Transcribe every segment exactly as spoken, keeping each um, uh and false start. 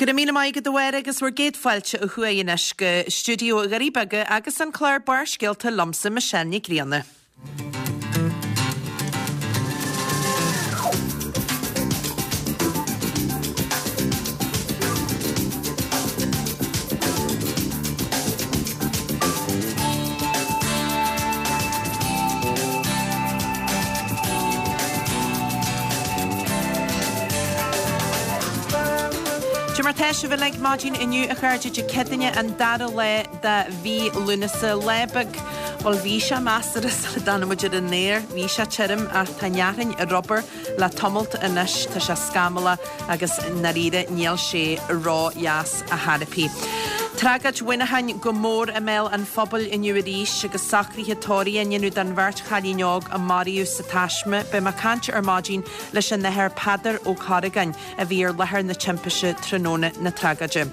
Go raibh míle maith agat a Mháire agus bhur gcéad fáilte ó thuaidh anois go stiúideo Dhoirí Beaga agus an clár Barrscéalta liomsa Michelle Nic Grianna. Cad é mar tá sibh uilig maidin inniu a chairde Dé Céadaoine an dara lá de mhí Lúnasa lá beag bhuel bhí sé measartha sula dtáinig muid ar an aer bhí sé tirim ach tá an fhearthainn ar obair le tamalt anois tá sé scamallach agus i ndáiríre níl sé ró-dheas ar chor ar bith. Tragóid Mhuineacháin go mór i mbéal an phobail inniu arís agus socruithe tórraimh á ndéanamh don bheirt chailín óg a maraíodh sa taisme. Beidh mé ag caint ar maidin leis an Athair Peadar Ó Corragáin a bhí ar láthair na timpiste tráthnóna na tragóide.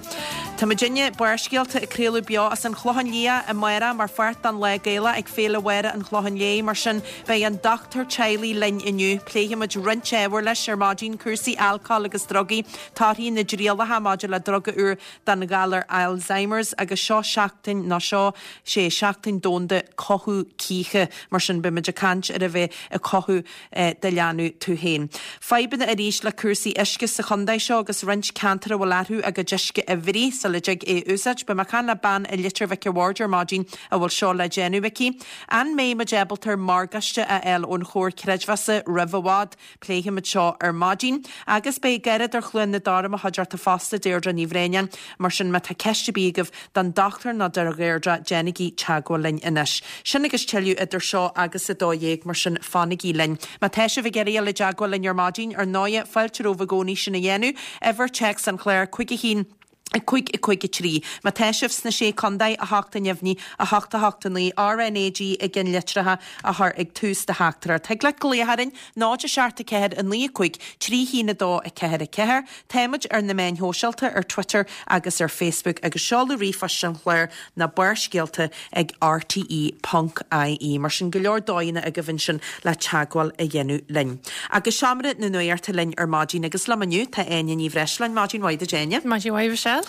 Tá muidinne Barrscéalta ag craoladh beo as an Chlochán Liath amárach mar pháirt den Lá Gaelach ag Féile Mháire an Chlocháin Léith mar sin beidh an dochtúir teaghlaigh linn inniu. Pléifimid roinnt ábhar leis ar maidin cúrsaí alcóil agus drugaí, torthaí na dtrialacha maidir le druga úr don ghalar Alzheimer's agus seo seachtain ná seo sé seachtain domhanda cothú cíche mar sin beimid ag caint ar a bheith ag cothú eh, do leanbh tú féin. Fadhbanna arís le cúrsaí uisce sa chontae seo agus roinnt ceantar a bhfuil orthu a gcuid uisce a bhruith sula dtig é úsáid, Beidh mé ag caint le bean i Leitir Mhic a' Bhaird ar maidin a bhfuil seo le déanamh aici. An mbeidh muid ábalta morgáiste a fháil ón Chomhar Creidmheasa roimh i bhfad, pléifimid seo ar maidin, agus beidh Garradóir Chluain na Dara mo chuideachta fosta Deirdre Ní Bhréanainn, mar sin má tá ceist ar bith agaibh don dochtúir nó do Dheirdre déanaigí teagmháil linn anois. Sin agus tuilleadh idir seo agus a dó dhéag mar sin fanaigí linn. Má tá sibh ag iarraidh dul i dteagmháil linn ar maidin ar ndóigh fáilte romhaibh i gcónaí sin a dhéanamh, uimhir téacs an chláir cúig a haon a cúig a cúig a trí. Má tá sibh sna sé chontae a hocht a neamhní a hocht a hocht a naoi RnaG i gceannlitreacha a chur ag tús do theachtaireacht. Thig leat glaoch orainn náid a seacht a ceathair a naoi a cúig trí haon a dó a ceathair a ceathair. Táimid ar na meáin shóisialta ar Twitter agus ar Facebook agus seoladh ríomhphoist an chláir ná barrscéalta ag RTE ponc IE. Mar sin go leor dóigheanna agaibh ansin le teagmháil a dhéanamh linn. Agus seomra na nuachta linn ar maidin agus liom inniu tá Áine Ní Bhreisleáin maidin mhaith duit Áine. Maidin mhaith Michelle.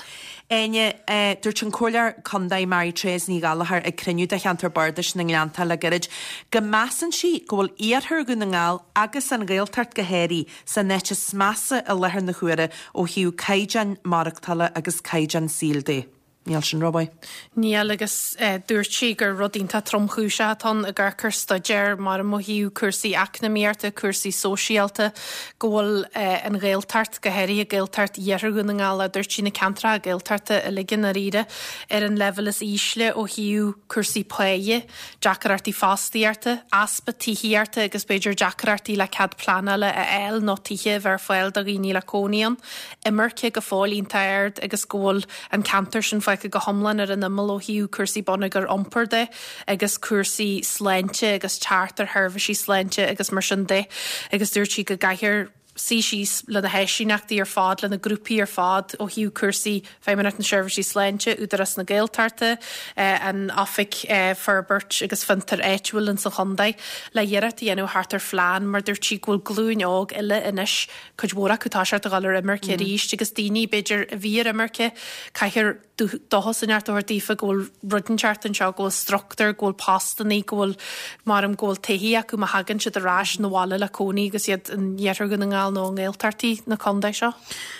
Áine dúirt an Comhairleoir Contae Mary Therese Ní Ghallchóir ag cruinniú de cheantar Bardais na nGleannta le gairid go measann sí go bhfuil iarthar Dhún na nGall agus an Ghaeltacht go háirithe san áit is measa i láthair na huaire ó thaobh caighdeán maireachtála agus caighdeán saoil de. Níl sin rómhaith. Níl agus eh, dúirt sí gur rud iontach tromchúiseach atá ann ag amharc ar staidéar mar ó thaobh cúrsaí eacnamaíochta, cúrsaí sóisialta, go bhfuil eh, an Ghaeltacht go háirithe Gaeltacht Iarthar Dhún na nGall a dúirt sí na ceantracha Gaeltachta uilig i ndáiríre ar an leibhéal is ísle ó thaobh cúrsaí páighe, deacrachtaí fostaíochta, easpa tithíochta agus b'fhéidir deacrachtaí le cead pleanála a fháil nó tithe a bheith ar fáil do dhaoine le cónaí ann, imirce go fóill iontach ard agus go bhfuil an ceantar sin fágtha go hiomlán ar an imeall ó thaobh cúrsaí bonneagar iompair de agus cúrsaí sláinte agus teacht ar sheirbhísí sláinte agus mar sin de agus dúirt sí go gcaithfear suí síos le na háisíneachtaí ar fad le na grúpaí ar fad ó thaobh cúrsaí Feidhmeannacht na Seirbhísí Sláinte, Údarás na Gaeltachta, eh, an Oifig eh, Forbairt agus Fiontar Áitiúil in sa chontae le iarracht a dhéanamh thart ar phlean mar dúirt sí go bhfuil glúin óg eile anois cuid mhór acu tá sé a dhul ar imirce mm. arís agus daoine b'fhéidir a bhí ar imirce caithfear dóchas a thabhairt daofa go bhfuil rud inteacht anseo go bhfuil struchtúr, go bhfuil postanna, go bhfuil mar go bhfuil tithe acu má thagann siad ar ais 'na bhaile le cónaí agus iad in iarthar Dhún na nGall nó i nGaeltachtaí na contae seo.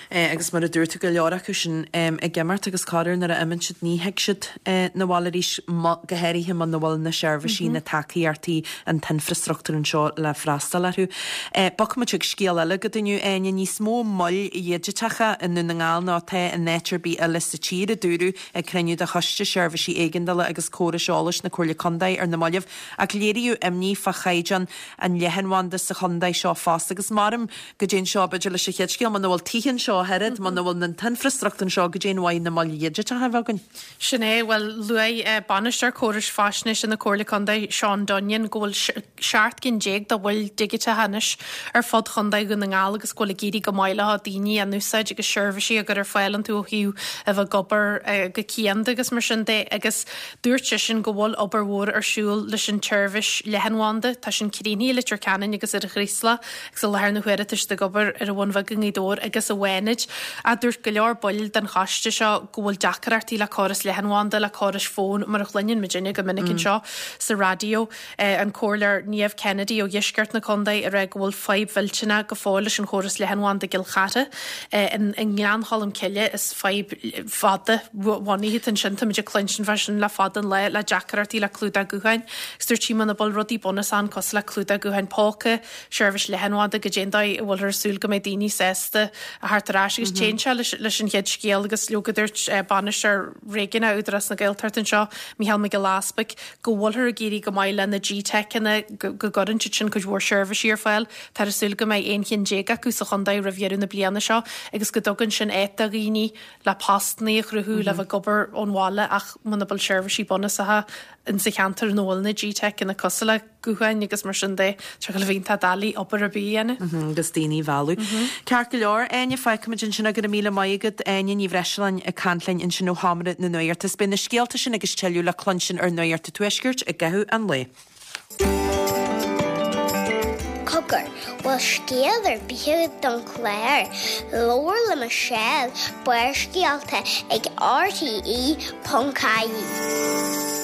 Eh, agus mar a dúirt tú go leor acu sin um, ag imeacht agus corruair nuair a imíonn siad ní thig siad eh, 'na bhaile arís go háirithe muna bhfuil na seirbhísí mm -hmm. na tacaíochtaí an t-infreastruchtúr anseo le freastal orthu. Eh, Bogfaimid chuig scéal eile go inniu Áine níos mó moil dhigiteacha i nDún na nGall ná atá in áit ar bith eile sa tír a dúradh ag cruinniú de choiste seirbhísí éigeandála agus córais eolais na Comhairle Contae ar na mallaibh ach léiríodh imní fá chaighdeán an leathanbhanda sa chontae seo fosta agus maram go dtéann seo b'fhéidir leis an chéad scéal muna bhfuil tithe anseo oiread muna bhfuil an t-infreastruchtúr anseo go dtéann mhaith na moil dhigiteacha a bheith againn. Sin é well luaigh eh, bainisteoir córais faisnéise na Comhairle Contae Seán Dunnion go bhfuil seacht gcinn déag de mhoil dhigiteacha anois ar fud Chontae Dhún na nGall agus go bhfuil ag éirí go maith le daoine an úsáid agus seirbhísí a chur ar fáil iontu ó thaobh a bheith ag obair eh, go cianda agus mar sin de agus dúirt sé sin go bhfuil obair mhór ar siúl leis an tseirbhís leathanbhanda tá sin críochnaithe i Leitir Ceanainn agus ar an Chraoslach agus i láthair na huaire tá siad ag obair ar an Bhun Bheag i nGaoth Dobhair agus i bhFánaid. A dúirt go leor baill den choiste seo go bhfuil deacrachtaí le córas leathanbhanda, le córais fóin, mar a chluineann muidinne go minic anseo sa raidió. An Comhairleoir Niamh Kennedy ó dheisceart na contae ag rá go bhfuil fadhb mhillteanach go fóill leis an chóras leathanbhanda i gCill Chartha. I nGleann Cholm Cille is fadhb fada bhunaithe atá ansin, táimid ag cluinstin fá sin le fada an lá, le deacrachtaí le clúdach gutháin. Agus dúirt sí muna bhfuil rudaí bunúsacha ann cosúil le clúdach gutháin póca, seirbhís leathanbhanda goidé an dóigh a bhfuilthear ag súil go mbeidh daoine sásta a theacht ar ais agus téann sé leis an chéad scéal agus leoga dúirt bainisteoir réigiúnach Údarás na Gaeltachta anseo, Mícheál Mac Giolla Easpaig, go bhfuilthear ag éirí go maith le na GTeiceanna, go gcuireann siad sin cuid mhór seirbhísí ar fáil. Táthar ag súil go mbeidh aon cheann déag acu sa chontae roimh dheireadh na bliana seo agus go dtugann sin áit do dhaoine le postanna a chruthú, le bheith ag obair ón bhaile ach muna bhfuil seirbhísí bunúsacha in sa cheantar ina bhfuil na GTeiceanna cosúil le gutháin agus mar sin de, tá go bhíonn tá doiligh obair ar bith a dhéanamh. agus daoine a mhealladh. Ceart go leor, Áine, fágfaimid ansin go raibh míle maith agat, Áine Ní Bhreisleáin ag caint linn ansin ó Sheomra na Nuachta. Is beidh na scéalta sin agus tuilleadh le cluinstin ar Nuacht an Tuaiscirt i gcaitheamh an lae. Cogar, bhfuil scéal ar bith agat don chlár? Labhair le Michelle, Barrscéalta ag RTE ponc ie.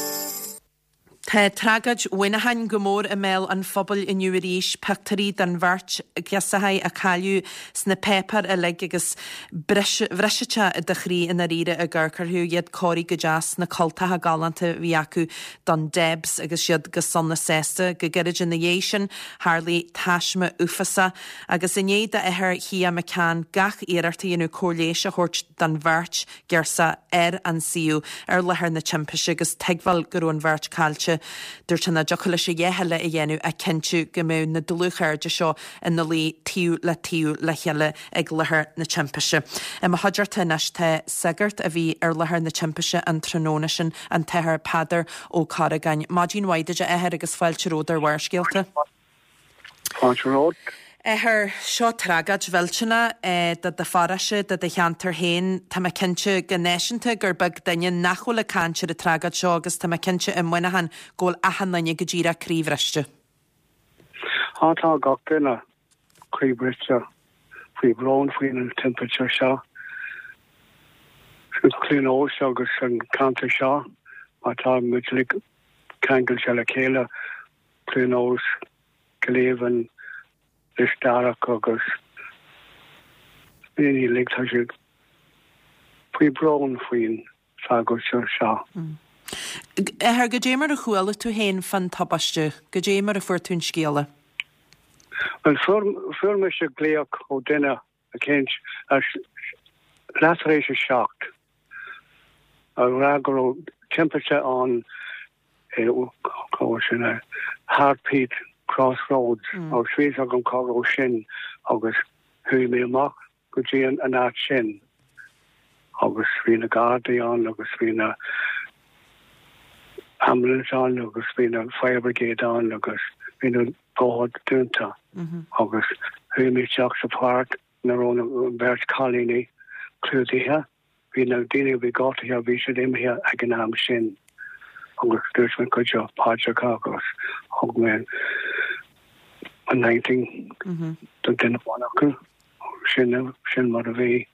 Tá tragóid Mhuineacháin go mór i mbéal an phobail inniu arís, pictiúirí den bheirt ghirseacha a cailleadh sna páipéir uilig agus bhrisfeadh sé do chroí i ndáiríre ag amharc orthu, iad cóirithe go deas sna cultacha galánta a bhí acu don Debs agus iad go sona sásta. Go gairid ina dhiaidh sin, tharlaigh taisme uafásach agus i ndiaidh d'athair Shia McCann gach iarracht a dhéanamh cóir leighis a thabhairt don bheirt ghirseach ar an suíomh ar láthair na timpiste agus tuigbheáil go raibh an bheirt caillte. Dúirt sé nach dtiocfadh leis a dhath eile a dhéanamh ach cinntiú go mbeadh na dlúthchairde seo ina luí taobh le taobh le chéile ag láthair na timpiste. I mo chuideachta anois tá sagart a bhí ar láthair na timpiste an tráthnóna sin, an tAthair Peadar Ó Corragáin. Maidin mhaith duit a Athair agus fáilte romhat ar Bharrscéalta. Fáilte romhat. Athair, seo tragóid mhillteanach do do pharóiste, do do cheantar féin. Tá mé cinnte go náisiúnta gur beag duine nach bhfuil ag caint ar an tragóid seo agus tá mé cinnte i Muineachán go bhfuil achan duine go díreach croíbhriste. Á tá gach duine croíbhriste faoi bhrón faoin timpiste seo. Cluain Eois agus an ceantar seo mar tá muid uilig ceangailte le chéile Cluain Eois, Cill Aoibhinn, Lios Darach agus daoine uilig tá siad faoi bhrón faoin tragóid seo. Athair, goidé mar a chuala tú féin fán tubaiste, goidé mar a fuair tú an scéala? Well fuair fuair mise glaoch ó duine eicínt leath tar éis a seacht a rá go raibh timpiste ann cá sin é Heartbeat Crossroads mm. agus bhí agam cá raibh sin agus chuaigh mé amach go dtí an an áit sin agus bhí na Gardaí ann agus bhí na ambulance ann agus bhí na fire brigade ann agus bhí na bóthar dúnta mm -hmm. agus chuaigh mé isteach sa pháirc ina raibh na beirt cailíní clúdaithe bhí na daoine bhí gortaithe bhí siad imithe ag an am sin agus dúirt mé cuid paidreacha agus thug mé anointing do duine amháin acu sin sin mar a bhí.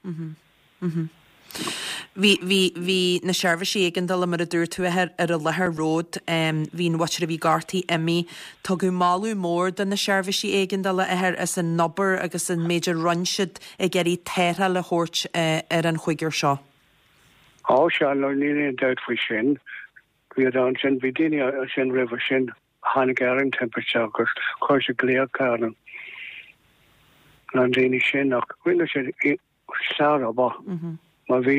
Bhí bhí bhí na seirbhísí éigeandála mar a dúirt tú ar ar an láthair romhat bhí an mhuintir a bhí gortaithe imithe. Tugadh moladh mór do na seirbhísí éigeandála athair as an obair agus an méid a rinne siad ag iarraidh tarrtháil a thabhairt ar an chúigear seo. Á sea, níl aon dabht faoi sin. Bhí ansin bhí daoine sin roimhe sin tháinig ar an timpiste agus chuir siad glaoch ar an na daoine sin ach rinne siad sárobair. Má bhí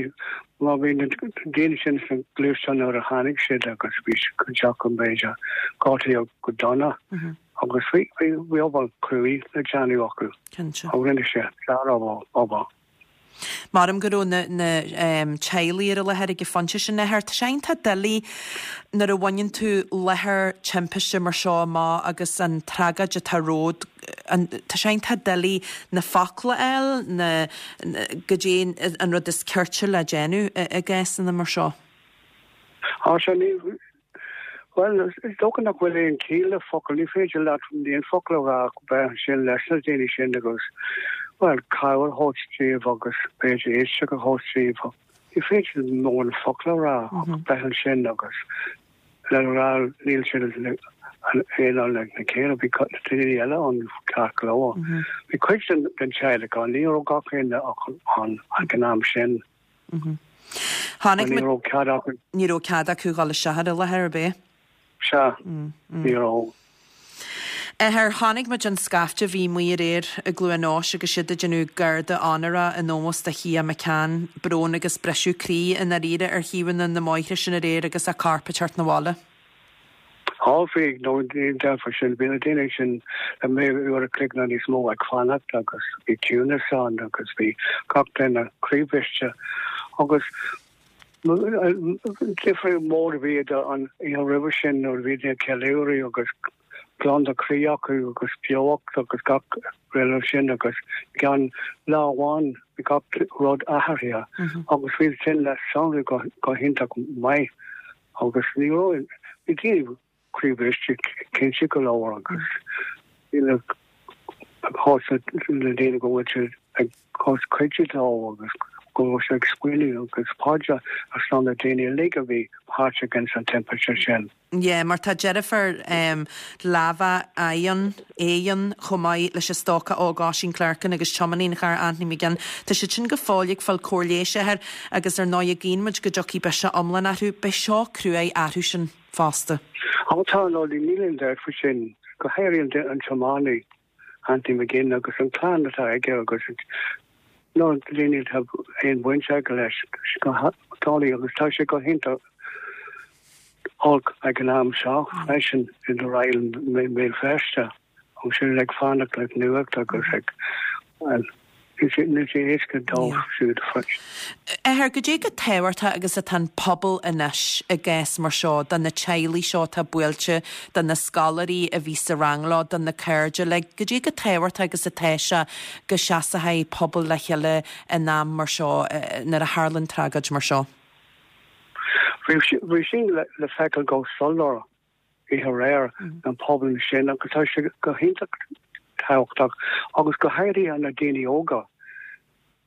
má bhí na daoine sin san gluaisteán nuair a tháinig siad agus bhí cuid acu b'fhéidir gortaithe go dona agus bhí bhí obair cruaidh le déanamh acu. Cinnte. Agus rinne siad sárobair. Maram go raibh na na um, teaghlaigh ar an láthair ag an phointe sin athair. Tá sé iontach doiligh nuair a bhaineann tú láthair timpiste mar seo amach agus an tragóid atá romhat an tá sé iontach doiligh na focla a fháil na goidé an rud is cirte le déanamh i gcásanna mar seo. Á sé ní Bhuel, is dócha nach bhfuil aon chiall le focail, ní féidir leat aon focal a rá ach bheith ansin leis na daoine sin agus, bhuel, cabhair a thabhairt díobh agus b'fhéidir éisteacht a thabhairt díobh. Ní féidir mórán focal a rá ach bheith ansin agus le rá níl siad aon ag na céile, bhí daoine eile ann ceart go leor. Bhí cuid den teaghlach ann, ní raibh gach éinne ann ag an am sin. Tháinig Ní raibh cead acu. Ní raibh cead acu dhul isteach ar an láthair ar bith. Sea, ní raibh. Athair, chonaic muid an scaifte a bhí amuigh aréir i gCluain Eois agus siad ag déanamh garda onóra in ómós do Chia McCann. Brón agus briseadh croí i ndáiríre ar thaobhanna na mbóithre sin aréir agus a corp ag teacht 'na bhaile. Á bhí, nó ní deirfear sin, bhí na daoine sin le mé uair a chloig nó níos mó ag fanacht agus bhí ciúnas ann agus bhí gach duine croíbhriste agus difríocht mór a bhí idir an oíche roimhe sin nuair a bhí daoine ag ceiliúradh agus glan de chroí acu agus beocht agus gach rud sin agus gan lá amháin bhí gach rud athraithe agus bhí sin le sonrú go, go hiontach maith agus ní raibh bhí daoine croíbhriste cinnte go leor agus bhí na na daoine go bhfuil siad ag cos cuidiú leo agus go bhfuil siad ag smaoineamh agus paidreacha ar son na daoine uilig a bhí páirteach ins an timpiste sin. Yeah, mar tá deirfiúr um, láimhe Eoghan, Eoghan chomh maith leis an stócach óg Oisín Clerkin agus tiománaí an chairr Anthony McGinn. Tá siad sin go fóill ag fáil cóir leighis air agus ar ndóigh guíonn muid go dtiocfaidh biseach iomlán orthu, beidh seo cruaidh orthu sin fosta. Á tá nó níl aon dabht faoi sin go háirithe an tiománaí Anthony McGinn agus an clann atá aige agus nó daoine atá aon bhaint aige leis go doiligh agus tá sé go hiontach olc ag an am seo freisin in Royal Béal Feirste agus sin ag fanacht le nuacht agus ag well, níl sé éasca dóibh siúd freisin. Athair, goidé chomh tábhachtach agus atá an pobal anois i gcás mar seo, do na teaghlaigh seo atá buailte, do na scoláirí a bhí sa rang leo, do na cairde, le goidé chomh tábhachtach agus atá sé go seasfaidh pobal le chéile in am mar seo nuair a tharlaíonn tragóid mar seo. Bhí sin le, le feiceáil go soiléir oíche aréir an pobal sin agus tá sé go hiontach tábhachtach agus go háirithe na daoine óga.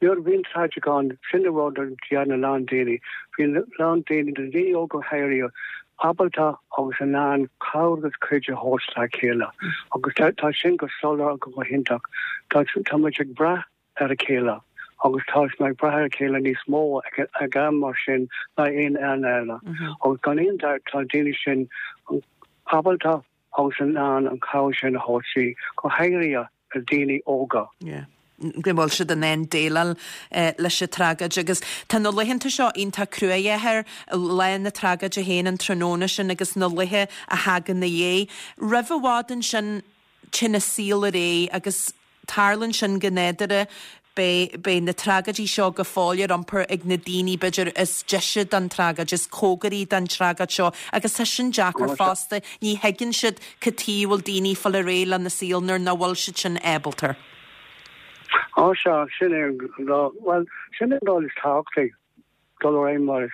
Nuair a bhíonn tragóid ann sin an rud a dhéanann a lán daoine, bhíonn lán daoine na daoine óga go háirithe ábalta agus in ann cabhair agus cuidiú a thabhairt dá chéile. Agus tá, tá sin go soiléir go go hiontach. Tá, tá muid ag brath ar a chéile. agus tá mé ag brath ar a chéile níos mó ag, ag am mar sin ná aon am eile. Agus gan aon dabht tá daoine sin ábalta agus in ann an cabhair sin a thabhairt go háirithe na daoine óga. Yeah. go bhfuil siad in ann déileáil eh, leis an tragóid agus tá na laethanta seo iontach cruaidh air lá na tragóide féin an tráthnóna sin agus na laethe a thagann ina dhiaidh. Roimh i bhfad ansin téann an saol ar aghaidh agus tarlaíonn sin go nádúrtha beidh beidh na tragóidí seo go fóill ar iompar ag na daoine b'fhéidir is deise don tragóid, is cóngaraí don tragóid seo agus tá sin deacair fosta, ní thuigeann siad cad chuige a bhfuil daoine fáil ar aghaidh lena saol nuair nach bhfuil siad sin ábalta. Á sea sin é well sin é an is tábhachtaí dul ar aghaidh mar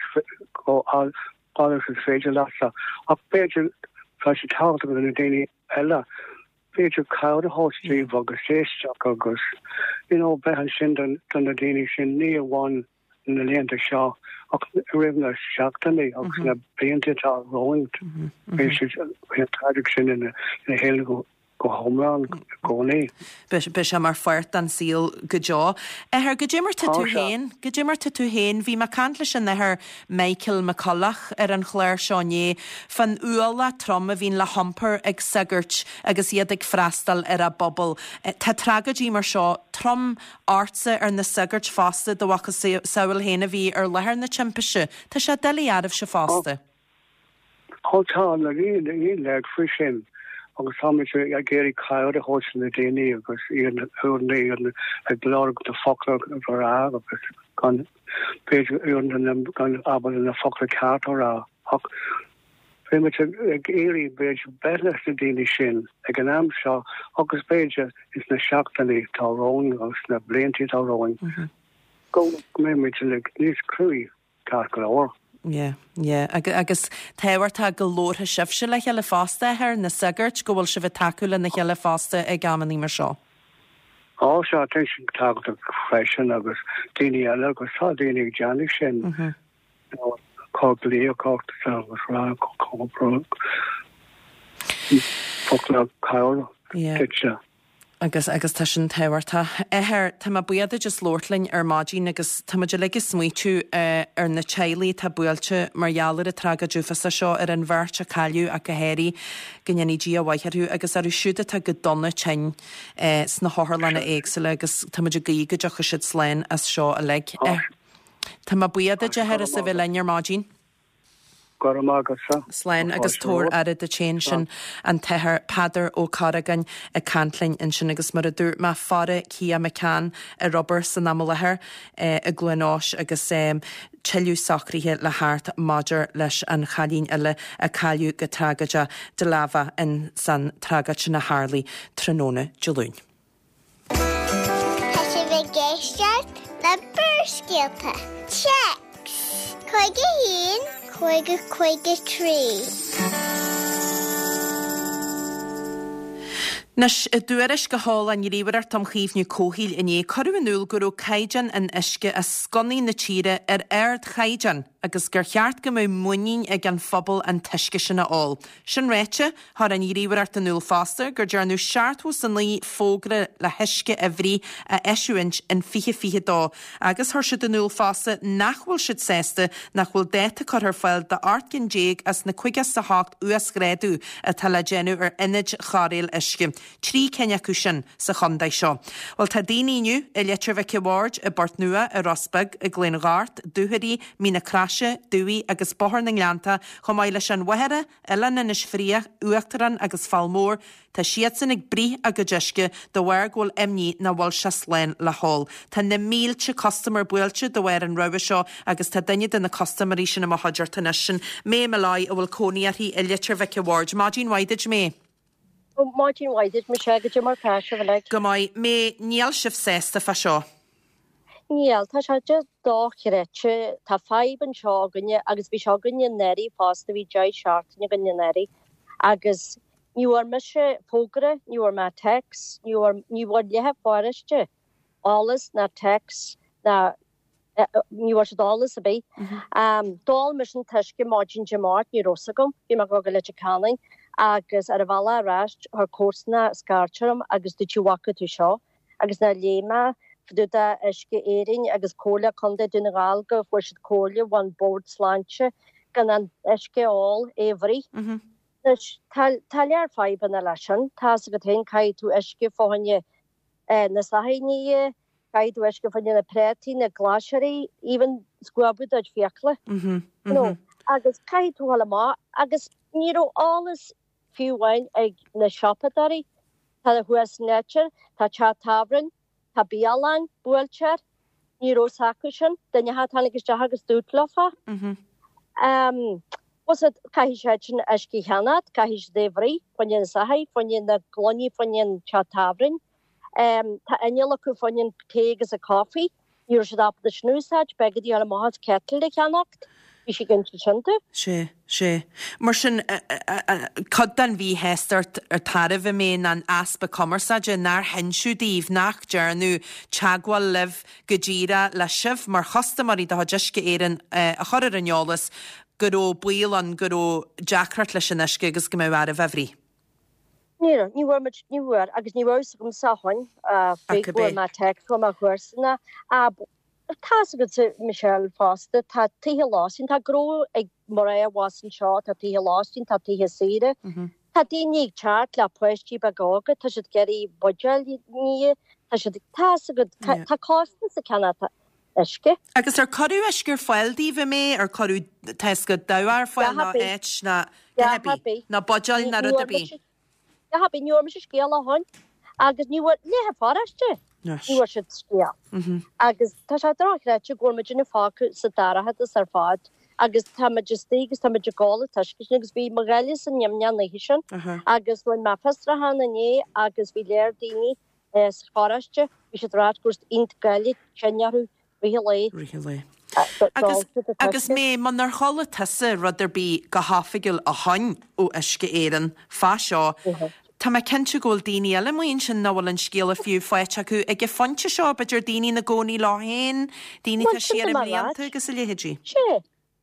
go agus is féidir leatsa ach b'fhéidir tá sé tábhachtach do na daoine eile b'fhéidir cabhair a thabhairt díobh agus éisteacht agus you know bheith ansin don don na daoine sin ní amháin na laethanta seo ach roimh na seachtainí agus na blianta atá romhainn. Beidh siad beidh an tragóid sin ina ina shaol go go hiomlán i gcónaí. Beidh sé mar pháirt den saol go deo. Athair, goidé mar tá Tá tú sé. féin, goidé mar tá tú féin, bhí mé ag caint leis an athair Michael McCulloch ar an chlár seo inné, fán ualach trom a bhíonn le hiompar ag sagairt agus iad ag freastal ar a bpobal. Eh, Tá tragóidí mar seo trom ortsa ar na sagairt fosta do mhacasamhail féin a bhí ar láthair na timpiste. Tá sé doiligh oraibhse fosta. Á tá na ní ní leid faoi sin agus táimid ag iarraidh cabhair a thabhairt na daoine agus iad uaireanta iad ag lorg na focla a rá agus gan b'fhéidir uaireanta gan ábalta na focla ceart a rá ach bímid ag iarraidh b'fhéidir bheith leis na daoine sin ag an am seo agus b'fhéidir is na seachtainí atá romhainn agus na blianta atá romhainn go mbeimid níos cruaidh ceart go leor. Yeah, yeah. Agus tábhachtach go labharfadh sibhse le chéile fosta ar na sagairt go bhfuil sibh ag tacú lena chéile fosta ag amannaí mar seo. Á sea, tá sin tábhachtach freisin agus daoine eile agus tá daoine ag déanamh sin. Cá glaoch agus rá focla cabhair duitse. Agus agus tá sin tábhachtach. Athair, tá mé buíoch duit as labhairt linn ar maidin agus tá muid uilig ag smaoitiú ar na teaghlaigh atá buailte mar gheall ar an tragóid uafásach seo, ar an bheirt a cailleadh ach go háirithe, go ndéanfaidh Dia a mhaith orthu agus orthu siúd atá go dona tinn sna hotharlanna éagsúla agus tá muid ag guí go dtiocfaidh siad slán as seo uilig. Tá mé buíoch duit, Athair, as a bheith linn ar maidin. Go raibh maith agatsa. Slán agus tabhair aire duit féin. Sin an tAthair Peadar Ó Corragáin ag caint linn ansin agus mar a dúirt mé faire Kia McCann ar obair san am i láthair i gCluain Eois agus tuilleadh socruithe le theacht maidir leis an chailín eile a cailleadh go tragóideach de láimhe in san tragóid sin a tharlaigh tráthnóna Dé Luain. Tá sibh ag éisteacht le Barrscéalta. Téacs cúig a haon, cúig a cúig a trí. Anois, i dtuairisc a sheol an Ghníomhaireacht um Chaomhnú Comhshaoil inné, cuireadh in iúl go raibh caighdeán an uisce as sconnaí na tíre ar ardchaighdeán agus gur cheart go mbeadh muinín ag an phobal an t-uisce sin a ól. Sin ráite, chuir an Ghníomhaireacht in iúl fosta gur dearnadh seachtó is a naoi fógra le huisce a bhruith a eisiúint in fiche fiche dó agus chuir siad in iúl fosta nach bhfuil siad sásta nach bhfuil dáta curtha ar fáil do ocht gcinn déag as na caoga is a hocht uasghrádú atá le déanamh ar ionaid chóireáil uisce, trí cinn acu sin sa chontae seo. Bhuel, tá daoine inniu i Leitir Mhic a' Bhaird, i bPort Nua, i Ros Beag, i gCluain Ghort, Dúchoraidh, Mín na Croise, Dumhaigh agus Bóthar na nGleannta, chomh maith leis an Mhachaire, Oileán Inis Fraoich, Uachtarán agus Fál Mór, tá siadsan ag bruith a gcuid uisce de bharr go bhfuil imní nach bhfuil sé slán le hól. Tá na mílte custaiméir buailte de bharr an rabhadh seo agus tá duine de na custaiméirí sin i mo chuideachta anois, sin May Molloy a bhfuil cónaí uirthi i Leitir Mhic a' Bhaird. Maidin mhaith duit, May. Maidin mhaith duit, Michelle, goidé mar tá sibh uilig. Go maith. May, níl sibh sásta fá seo? Níl, tá sé just dochreidte. Tá fadhb anseo againne agus bhí sé againne anuraidh fosta, bhí deich seachtaine againne anuraidh agus ní bhfuair mise fógra, ní bhfuair mé text, ní bhfuair, ní bhfuair leath an pharóiste eolas ná text ná ní bhfuair siad eolas ar bith. D'ól mise an t-uisce maidin Dé Máirt, ní raibh fhios agam, bhí mé ag dul go Leitir Ceanainn agus ar an bhealach ar ais chuir comharsana scairt orm agus dúirt sí bhfaca tú seo agus nuair a léigh mé fá dtaobh de Uisce Éireann agus Comhairle Contae Dún na nGall go bhfuair siad comhairle ón Bord Sláinte gan an uisce a ól, é a bhruith. Anois tá tá lear fadhbanna leis sin, tá fhios agat féin caithfidh tú uisce fá choinne na soithí a ní, caithfidh tú uisce fá choinne na préataí, na glasraí, even scuabadh do chuid fiacla. You know, agus caithfidh tú dhul amach agus ní raibh eolas fiú amháin ag na siopadóirí. Tá thuas san Leitir, tá teach tábhairne, tá bialann buailte air, ní raibh fhios acu sin, duine a tháinig isteach agus dúirt leofa. Um, was it, caithfidh siad sin uisce a cheannacht, caithfidh siad é a bhruith, fá choinne na soithí, fá choinne na gloiní, fá choinne an teach tábhairne. Um, tá inneall acu fá choinne an tae agus an coffee, ní raibh siad ábalta sin a úsáid, b'éigean dóibh dul amach agus kettle a cheannacht, bhí sé ag insint sin domh. Sé, sé. Mar sin, cuid den mhíshástacht ar tairbhe mé ná an easpa cumarsáide, nár hinseadh daoibh, nach ndearnadh teagmháil libh go díreach le sibh mar chustaiméirí de chuid Uisce Éireann a chur ar an eolas go raibh baol ann go raibh deacracht leis an uisce agus go mbeadh oraibh é a bhruith. Ní raibh, ní bhfuair muid, ní bhfuair, agus ní raibh fhios agamsa ó shoin, faoi go bhfuair mé text ó mo chomharsana, tá fhios agatsa Michelle fosta, tá tithe lóistín, tá gnó ag mná abhus anseo, tá tithe lóistín, tá tithe saoire, tá daoine ag teacht le páistí beaga óga, tá siad ag iarraidh buidéil a ní, tá siad, tá fhios agat, tá costas ag ceannacht uisce. Agus ar cuireadh uisce ar fáil daoibh, a May, ar cuireadh, tá fhios agat, dabhach ar fáil nó áit ná, a dhath ar bith, ná buidéil ná rud ar bith? A dhath ar bith, ní bhfuair mise scéal ó shoin agus ní bhfuair leath an pharóiste, ní bhfuair siad scéal. Agus tá sé dochreidte go bhfuil muidinne fágtha sa dorchadas ar fad agus tá muid istigh agus tá muid ag ól an t-uisce sin agus bhí mo ghoile san imní an oíche sin agus rinne mé fiosrúchán inné agus bhí lear daoine sa pharóiste, bhí siad ag ráit go raibh iontach goile tinn orthu rith an lae. Rith an lae. Agus, agus May, munar chuala tusa rud ar bith go hoifigiúil ó shoin ó Uisce Éireann fá seo, tá mé cinnte go bhfuil daoine eile amuigh ansin nach bhfuil an scéala fiú faighte acu ag an phointe seo, b'fhéidir daoine ina gcónaí leo féin, daoine atá siar i mblianta agus a leithéidí. Sea.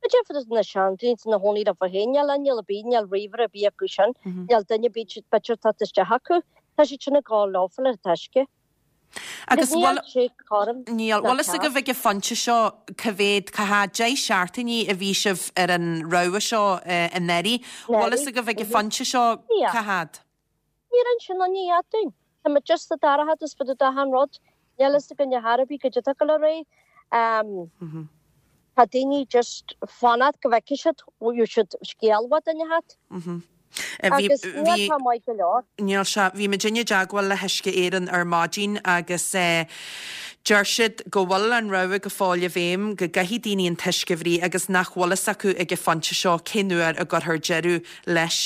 B'fhéidir na seandaoine ina gcónaí leo féin, níl níl ar bith, níl ríomhaire ar bith acu sin, níl duine ar bith b'fhéidir teacht isteach acu. Tá siad sin ag gabháil leofa le t-uisce. Agus bhfuil Níl. Bhfuil fhios agaibh ag an phointe seo cá mhéad, cá fhad, deich seachtainí a bhí sibh ar an rogha seo anuraidh. Bhfuil fhios agaibh ag an phointe seo cá fhad? Níor inis aon ní dúinn. Tá muid just sa dorchadas fá dtaobh d'achan rud. Níl fhios againn ar chor ar bith goidé atá ag dul ar aghaidh. Tá daoine just fanacht go bhfeicfidh siad, gheobhaidh siad scéal uait duine inteacht. Agus níl sé maith go leor. Níl sé. Bhí muidinne i dteagmháil le hUisce Éireann ar maidin agus deir siad go bhfuil an rabhadh go fóill i bhfeidhm, go gcaithfidh daoine an t-uisce a bhrí agus nach bhfuil fhios acu ag an phointe seo cén uair a gcuirfear deireadh leis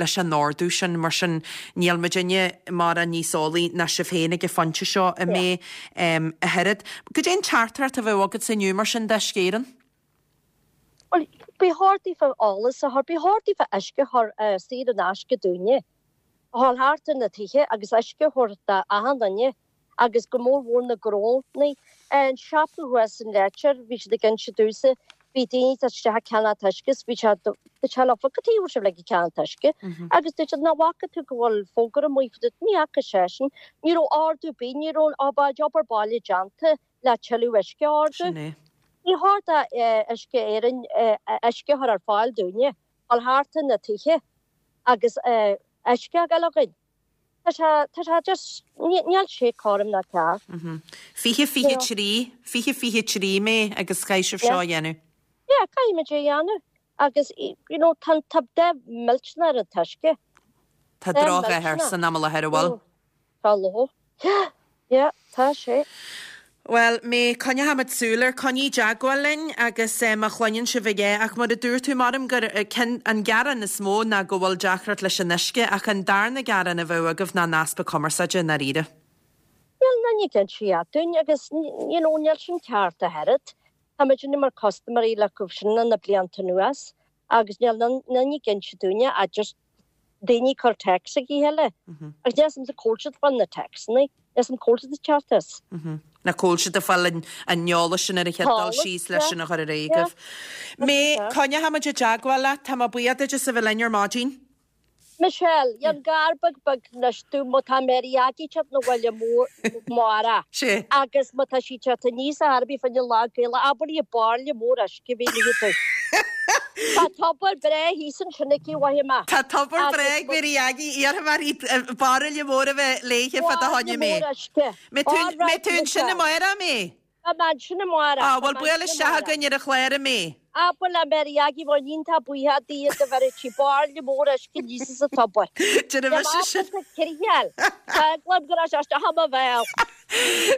leis an ordú sin. Mar sin níl muidinne mórán níos eolaí ná sibh féin ag an phointe seo, a May, ach oiread. Goidé an teachtaireacht a bheadh agatsa inniu mar sin d'Uisce Éireann? Bhuel, ba chóir daofa eolas a chur, ba chóir daofa uisce a chur saor in aisce dúinne, a dhul thart ar na tithe agus uisce a thabhairt d'achan duine agus go mór mhór na gnónnaí. An siopa thuas in Leitir, bhí siad ag inse domhsa, bhí daoine ag teacht isteach ag ceannacht uisce is bhí sé, dúirt sé leofa, cad chuige a bhfuil sibh ag ceannacht uisce? Agus dúirt siad, nach bhfaca tú go bhfuil fógra amuigh fá dtaobh, ní fhaca seisean, ní raibh ordú ar bith, ní raibh obair baile déanta le tuilleadh uisce a ordú. Sin é. Ní chóir d'Uisce Éireann uisce a chur ar fáil dúinne, dul thart ar na tithe agus uisce a fháil againn. Tá sé, tá sé just, níl sé cothrom ná ceart. Fiche fiche trí, fiche fiche trí May agus caithfidh sibh seo a dhéanamh. Yeah, caithfimid é a dhéanamh agus you know tá, tá dath millteanach ar an t-uisce. Tá drochdhath air san am i láthair, an bhfuil? Tá ló. Yeah, yeah, tá sé. Bhuel, May, coinneochaimid súil air, coinnigh i dteagmháil linn agus má chluineann sibh a dhath, ach mar a dúirt tú, maram gur an gearán is mó ná go bhfuil deacracht leis an uisce, ach an darna gearán a bheadh agaibh ná an easpa cumarsáide i ndáiríre. Níl aon ní ag inse a dhath dúinn agus, you know, níl sin ceart ach oiread. Tá muidinne mar custaiméirí acu sin na blianta anuas agus níl aon ní ag inse dúinne ach just daoine ag cur text ag a chéile. Agus níl 'fhios a'msa cá bhfuil siad ag fáil na textanna, níl 'fhios a'm cá bhfuil siad ag teacht as. Ná cá bhfuil siad ag fáil an eolas sin ar an chéad dul síos leis sin a chur ar aghaidh agaibh. May, coinneochaimid i dteagmháil leat, tá mé buíoch duit as a bheith linn ar maidin. Michelle, Dhein gar beag beag anois domh má tá Mary Aggie teacht 'na bhaile amárach agus má tá sí teacht aníos ar chor ar bith fá choinne Lá Gaelach abair léi bairille mór uisce a bheith léi domh. Tá tobar breá thíos ansin aici mhaith amach. Tá tobar breá ag Mary Aggie, iarrfaidh mé uirthi bairille mór a bheith léithe fá do choinne Bairille mór uisce. Mbeidh tú ansin amárach, May? Beidh mé ansin amárach. Á, bhuel, buail isteach chugainn ar an chlár, a May. Abair le Mary Aggie bheinn iontach buíoch di dá bheireadh sí bairille mór uisce aníos as an tobar. Déanfaidh mise sin. Níl mé ábalta criothal. Tá eagla orm go raibh sé isteach i mo bhéal.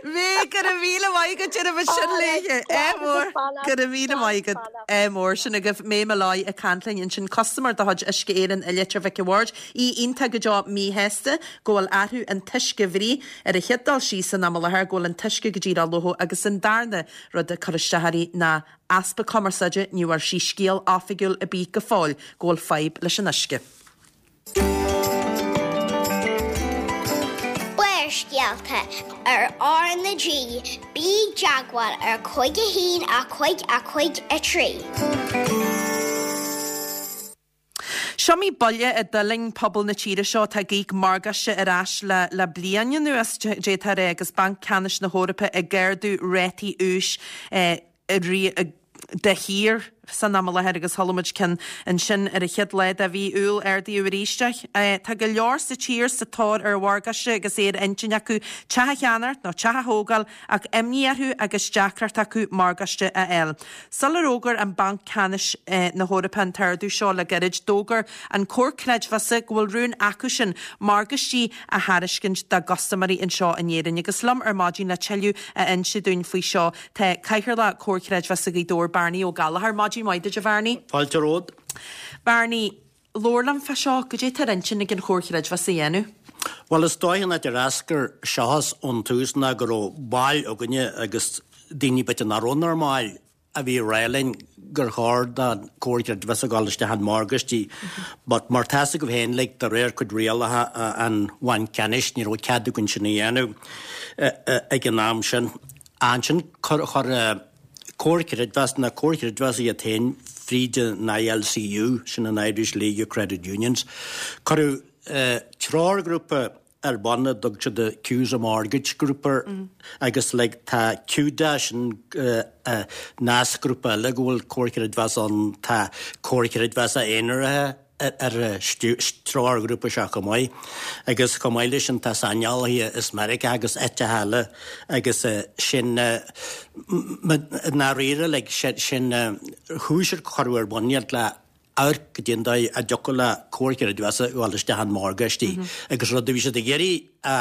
May, go raibh míle maith agat, déanfaidh muid sin léithe. Ádh mór. Go raibh míle maith agat. Ádh mór. Sin agaibh May Molloy ag caint linn ansin, custaiméir de chuid Uisce Éireann i Leitir Mhic a' Bhaird. Í iontach go deo míshásta go bhfuil athrú an t-uisce a bhrí. Ar an chéad dul síos san am i láthair go bhfuil an t-uisce go díreach lofa agus an darna rud ag cur isteach uirthi ná easpa cumarsáide, ní bhfuair sí scéal oifigiúil ar bith go fóill go bhfuil fadhb leis an uisce. Barrscéalta ar R na G, bí i dteagmháil ar cúig a haon a cúig a cúig a trí. S'iomaí buille a d'fhulaing pobal na tíre seo atá ag íoc morgáiste ar ais le le bliain anuas, d'fhéadfá a rá, agus Banc Ceannais na hEorpa ag ardú rátaí úis de shíor san am i láthair agus chuala muid ceann ansin ar an chéad lá de mhí Iúil, ardaíodh arís é. Tá go leor sa tír sa tóir ar mhorgáiste agus é ar intinn acu teach a cheannacht nó teach a thógáil ach imní orthu agus deacracht acu morgáiste a fháil. Sular fhógair an Banc Ceannais na hEorpa an t-ardú seo le gairid, d'fhógair an Comhar Creidmheasa go bhfuil rún acusan morgáistí a thairiscint dá gcustaiméirí anseo in Éirinn. Agus liom ar maidin le tuilleadh a inse dúinn faoi seo tá Cathaoirleach Comhar Creidmheasa Ghaoth Dobhair, Barney Ó Gallchóir. Maidin mhaith duit, a Bharney. Fáilte romhat. Barney, labhair liom fá seo, goidé tá ar intinn ag an Chomhar Chreidmheasa a dhéanamh? Bhuel, is dóigh an áit ar eascair seo as ón tús ná go raibh baill againne agus daoine b'fhéidir nach raibh inár mbaill a bhí ag rá linn gur chóir don Comhar Creidmheasa dul isteach in morgáistí but mar tá fhios agaibh féin like de réir cuid rialacha an Bhainc Ceannais ní raibh cead againn sin a dhéanamh ag an am sin. Ansin chuir Comhar Creidmheasa na Comhair Chreidmheasa iad féin fríd an ILCU, sin an Irish League of Credit Unions, cuireadh treoirghrúpa ar bun a dtug siad the Cusa Mortgage Group air agus like tá CUDA sin nascghrúpa eile go bhfuil Comhar Creidmheasa ann, tá Comhar Creidmheasa aonaraithe ar an treoirghrúpa seo chomh maith agus chomh maith leis sin tá saineolaithe as Meiriceá agus áiteacha eile agus sin i ndáiríre like sin chúis ar cuireadh ar bun iad le amharc goidé an dóigh a dtiocfadh le Comhar Creidmheasa a ghabháil isteach in morgáistí agus rud a bhí siad ag iarraidh a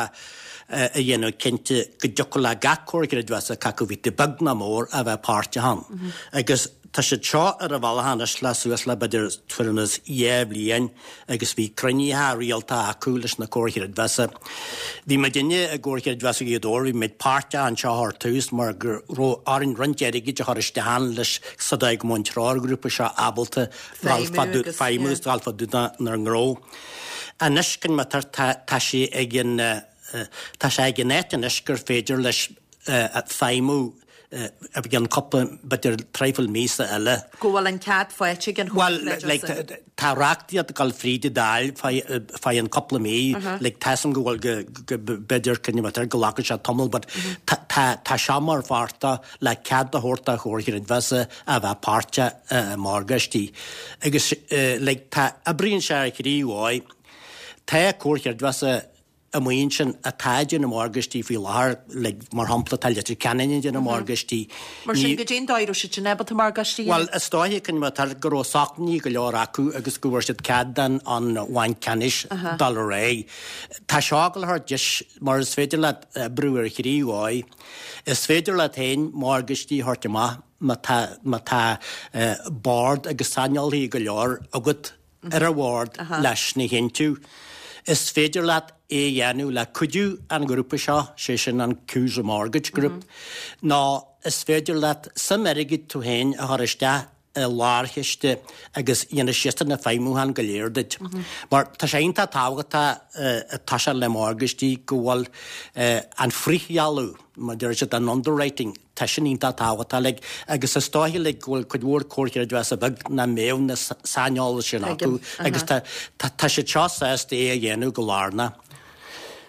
a dhéanamh cinnte go dtiocfadh le gach Comhar Creidmheasa cé acu bhí tú beag ná mór a bheith páirteach ann. Agus tá siad seo ar a bhealach anois le suas le b'fhéidir tuairim is dhá bhliain agus bhí cruinnithe rialta acu leis na Comhair Chreidmheasa. Bhí muidinne i gComhar Creidmheasa Ghaoth Dobhair, bhí muid páirteach anseo ar tús mar go raibh orainn roinnt airgid a chur isteach ann leis sa dóigh go mbeadh an treoirghrúpa seo ábalta feidhmiú agus dul fá dtaobh dár ngnó. Anois, tá sé ag an Tá sé ag an áit anois gur féidir leis feidhmiú i gceann cúpla, b'fhéidir traidhfil míosa eile. Go bhfuil an cead faighte ag an Chomhar Creidmheasa. Bhuel, like, tá reachtaíocht ag dul fríd an Dáil fá cheann cúpla mí, like, tá 'fhios a'm go bhfuil go, go, b'fhéidir, go nglacfaidh sé tamall, but tá, tá, tá seo mar pháirt de le cead a thabhairt do Chomhar Creidmheasa a bheith páirteach i morgáistí. Agus, like, tá, oibríonn sé ar thrí dhóigh. Tá Comhar Creidmheasa amuigh ansin atá ag déanamh morgáistí faoi láthair, like, mar shampla, tá Leitir Ceanainn ag déanamh morgáistí. Mar sin, goidé an dóigh a raibh siad sin ábalta morgáistí a dhéanamh? Bhuel, is dóiche, cineál, go raibh sócmhainní go leor acu agus go bhfuair siad cead den an Bhanc Ceannais dul ar aghaidh. Tá seo ag dul a thabhairt deis, mar is féidir leat oibriú ar thrí dhóigh. Is féidir leat féin morgáistí a thabhairt amach má tá, má tá bord agus saineolaithe go leor agat ar an bhord leis sin a chinntiú. Is féidir leat é a dhéanamh le cuidiú an ghrúpa seo, sé sin an Cusa Mortgage Group, nó is féidir leat suim airgid tú féin a chur isteach i lárchiste agus dhéanfaidh siadsan na feidhmiúcháin go léir duit. Mar tá sé iontach tábhachtach tá sé le morgáistí go bhfuil an frithghealladh, mar deir siad an underwriting, Tá sin iontach tábhachtach like agus is dóiche like go bhfuil cuid mhór comhar creidmheasa beag nach mbeadh na saineolais sin acu agus tá tá siad seo sásta é a dhéanamh go lárnach.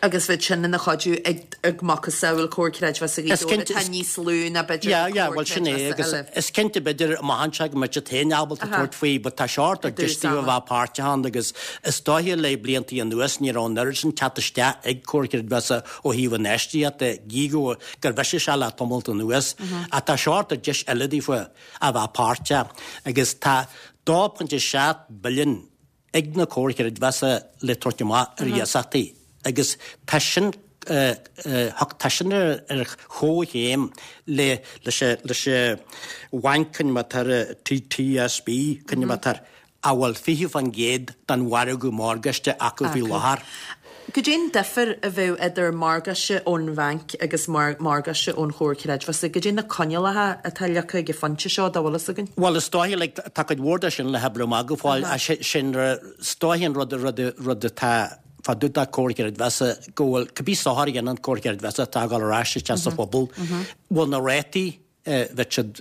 Agus bheadh sin ina chuidiú ag ag macasamhail comhar creidmheasa Ghaoth Dobhair atá níos lú ná b'fhéidir Yeah yeah bhuel sin é agus is cinnte b'fhéidir amach anseo go mbeidh siad féin ábalta tabhairt faoi but tá seo ag deis daofa a bheith páirteach ann agus is dóiche le bliantaí anuas ní raibh an oiread sin teacht isteach ag comhar creidmheasa ó thaobh infheistíocht de, gí go gur bhriseadh sé le tamalt anuas, ach tá seo ag deis eile daofa a bheith páirteach agus tá dó pointe seacht billiún ag na comhair chreidmheasa le tabhairt amach ar iasachtaí agus tá sin tá sin ar chomhchéim le leis leis an bhanc coinneáil TSB coinneáil a bhfuil fiche faoin gcéad den mhargadh morgáiste acu faoi láthair. Goidé an difear a bheadh idir morgáiste ón bhanc agus morgáiste ón Chomhar Creidmheasa? Goidé na coinníollacha atá leagtha ag an phointe seo, dá bhfuil fhios againn? Bhuel, is dóiche, like, tá cuid mhór de sin le hoibriú amach go fóill, ach sin, is dóiche an rud, rud, rud atá fá dtaobh de Comhar Creidmheasa go bhfuil cibé sochar a dhéanann Comhar Creidmheasa atá ag dul ar ais isteach sa phobal, bhfuil na rátaí, bheadh siad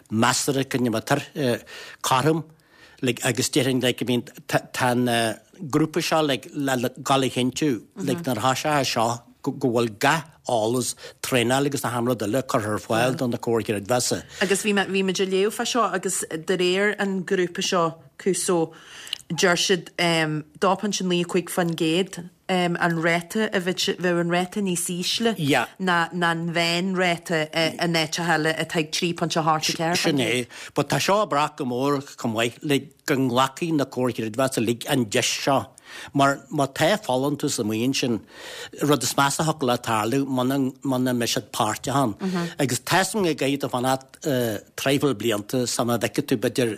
measartha cineál cothrom like agus déarfainn like I mean tá an grúpa seo like le dhul a chinntiú like nuair atá sé seo go bhfuil gach eolas, traenáil agus achan rud eile curtha ar fáil do na comhair chreidmheasa. Agus bhí mé bhí muid ag léamh fá seo agus de réir an ghrúpa seo Cuso deir siad dó pointe naoi cúig faoin gcéad an ráta a bheadh an ráta níos ísle ná an mheánráta in áiteacha eile atá ag trí pointe a hocht a ceathair faoin Sin é. gcéad. But tá seo ag brath go mór chomh maith le go nglacfaidh na comhair chreidmheasa uilig an deis seo. Mar má tá folúntas amuigh ansin, rud is measa a thiocfadh le tarlú muna muna mbeidh siad páirteach ann. Agus tá 'fhios a'm go gcaithfidh tú fanacht traidhfil blianta sula bhfeicfidh tú b'fhéidir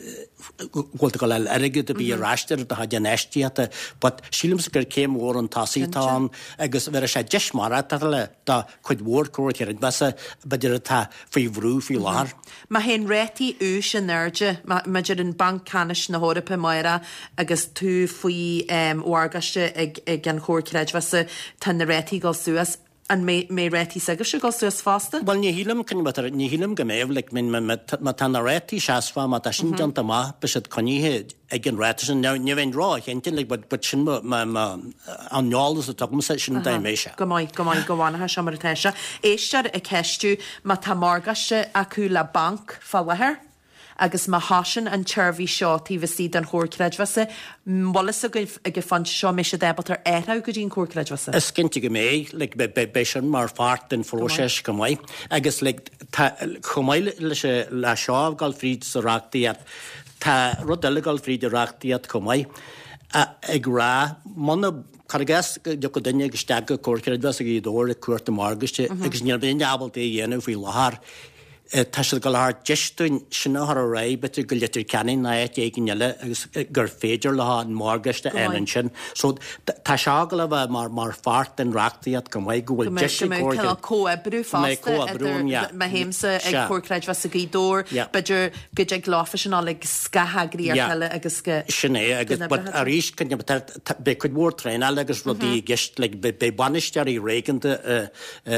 go bhfuil tú ag dul a fháil airgead ar bith ar ais ar do chuid infheistíochta. But sílimse gur céim mhór chun tosaigh atá ann agus bhéarfaidh sé deis maireachtála do chuid mhór comhar creidmheasa b'fhéidir atá faoi bhrú faoi láthair. Má théann rátaí úis in airde, má deir an Banc Ceannais na hEorpa amárach agus tú faoi mhorgáiste ag an Chomhar Creidmheasa, tá na rátaí ag dul suas, an mbeidh rátaí s'agaibhse ag dul suas fosta? Bhuel, ní shílim, ní shílim go mbeidh, like, má tá na rátaí seasmhach, má tá sin déanta amach, beidh siad coinnithe ag an ráta sin. Now, ní bheinn ró-chinnte, like, but, but sin mo, mo, mo, an eolas atá agamsa, sin an dóigh a mbeidh sé. Go maith, go maith, go bhfanfaidh sé mar atá sé. Éisteoir ag ceistiú má tá morgáiste acu le banc fá láthair agus má thosaíonn an tseirbhís seo taobh istigh den Chomhar Creidmheasa, an bhfuil fhios agaibh ag an phointe seo an mbeidh siad ábalta athrú go dtí an Comhar Creidmheasa? Is cinnte go mbeidh, like, beidh sin mar pháirt den phróiseas chomh maith. Agus like, tá, chomh maith leis, le seo ag dul fríd sa reachtaíocht, tá rud eile ag dul fríd an reachtaíocht chomh maith, ag rá, muna, cuir i gcás go dtiocfadh duine isteach go Comhar Creidmheasa Ghaoth Dobhair ag cuartú morgáiste agus níl duine ábalta é a dhéanamh faoi láthair, Tá siad ag dul a thabhairt deis dúinn sin a chur ar aghaidh, b'fhéidir go Leitir Ceanainn nó áit éigin eile agus gur féidir leo an morgáiste a fháil ansin. So tá seo ag dul a bheith mar mar pháirt den reachtaíocht chomh maith go bhfuil deis ag Go mbeidh cineál comhoibriú fosta idir má théimse ag Comhar Creidmheasa Ghaoth Dobhair, b'fhéidir go dtig leofa sin a fháil ag scatheagraíocht eile agus go Sin é agus but arís beidh cuid mhór traenála agus rudaí i gceist like beidh bainisteoirí réigiúnda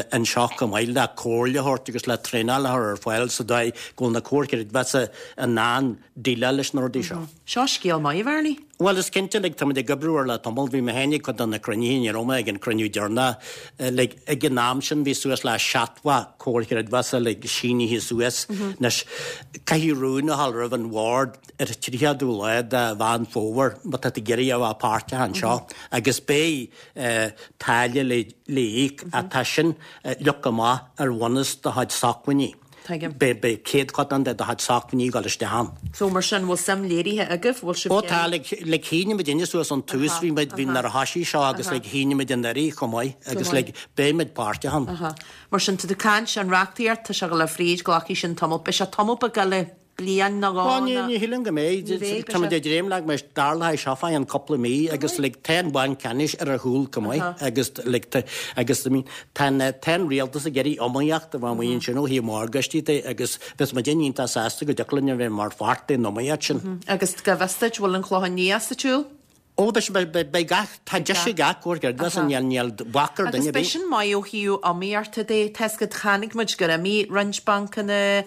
anseo chomh maith le comhairle a thabhairt agus le traenáil a chur ar fáil sa dóigh go bhfuil na comhair chreidmheasa in ann déileáil leis na rudaí seo. Seo scéal maith, a Bhearnaí. Bhuel, is cinnte, like, táimid ag oibriú air le tamall. Bhí mé féin ag cuid de na cruinnithe, ní raibh mé ag an cruinniú deireanach. Like, ag an am sin bhí suas le seachtó comhar chreidmheasa, like, sínithe suas. Anois, caithfidh rún a dhul roimh an bhord ar an tríochadú lá de Mheán Fómhair má tá tú ag iarraidh a bheith páirteach anseo agus beidh táille le híoc ach tá sin leagtha amach ar bhunús do chuid sócmhainní. Tuigim. Beidh céadchodán de do chuid sócmhainní ag dul isteach ann. So mar sin, bhfuil suim léirithe agaibh? Bhfuil sibh Ó tá, like, like shínigh muidinne suas ón tús, bhí muid, bhí nuair a thoisigh seo agus like shínigh muid anuraidh chomh maith agus like beidh muid páirteach ann. Mar sin, tá tú ag caint, an reachtaíocht, tá sé ag dul fríd, glacfaidh sin tamall, beidh sé tamall beag eile bliain nó dhó Ó, ní, ní shílim go mbeidh. Ní bheidh, Tá muid ag dréim le go mbeidh, tarlóidh seo fá cheann cúpla mí agus like tá an Banc Ceannais ar ár gcúl chomh maith agus like tá, agus I mean tá an, tá an rialtas ag iarraidh iomaíocht a bheith amuigh ansin ó thaobh morgáistí de agus bheadh muid iontach sásta go dtiocfadh linn a bheith mar pháirt den iomaíocht sin. Agus go bhfios duit, bhfuil an Clochán Liath sa tsiúl? Ó, beidh, beidh gach, tá deis ag gach comhar creidmheasa, níl, níl bac ar Agus duine ar beidh bith. sin maith ó thaobh iomaíochta de, tá 'fhios agat, chonaic muid gur imigh roinnt bancanna,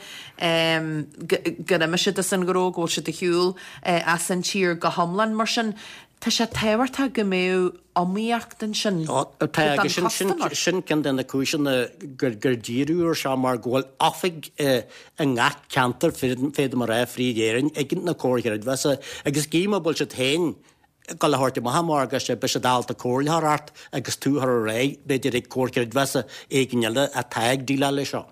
gur imigh siad as an ghnó, go bhfuil siad ar shiúl as an tír go hiomlán. Mar sin, tá sé tábhachtach go mbeadh iomaíocht ansin Ó, tá, don agus sin, sin, customer. sin ceann de na cúiseanna gur, gur díriú ar seo mar go bhfuil oifig i ngach ceantar, féadaim a rá, fríd Éirinn, ag na comhair chreidmheasa agus gidh má bhfuil siad féin ag dul a thabhairt amach an morgáiste, beidh siad ábalta comhairle a thabhairt ort agus tú a chur ar aghaidh, b'fhéidir, ag comhar creidmheasa éigin eile atá ag déileáil leis seo.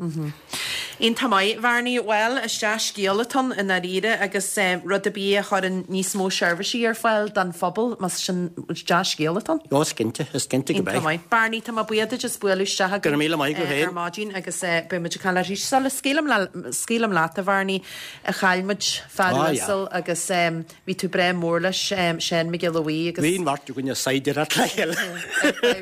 Iontach maith, Bhearnaí. Bhuel, is dea-scéal atá ann i ndáiríre agus rud ar bith a chuireann níos mó seirbhísí ar fáil don phobal, más sin, is dea-scéal atá ann. Ó, is cinnte, is cinnte go Iontach mbeidh. maith. Bearnaí, tá mé buíoch duit as bualadh isteach Go raibh míle maith agat ar féin. maidin agus beidh muid ag caint arís. Sula scaoilim scaoilim leat, a Bhearnaí, chaill muid fear Ah, yeah. uasal agus Bhí tú breá mór leis, Seán Mac Giolla Bhuí agus. Bhí an bheirt againn ag saighdiúireacht le chéile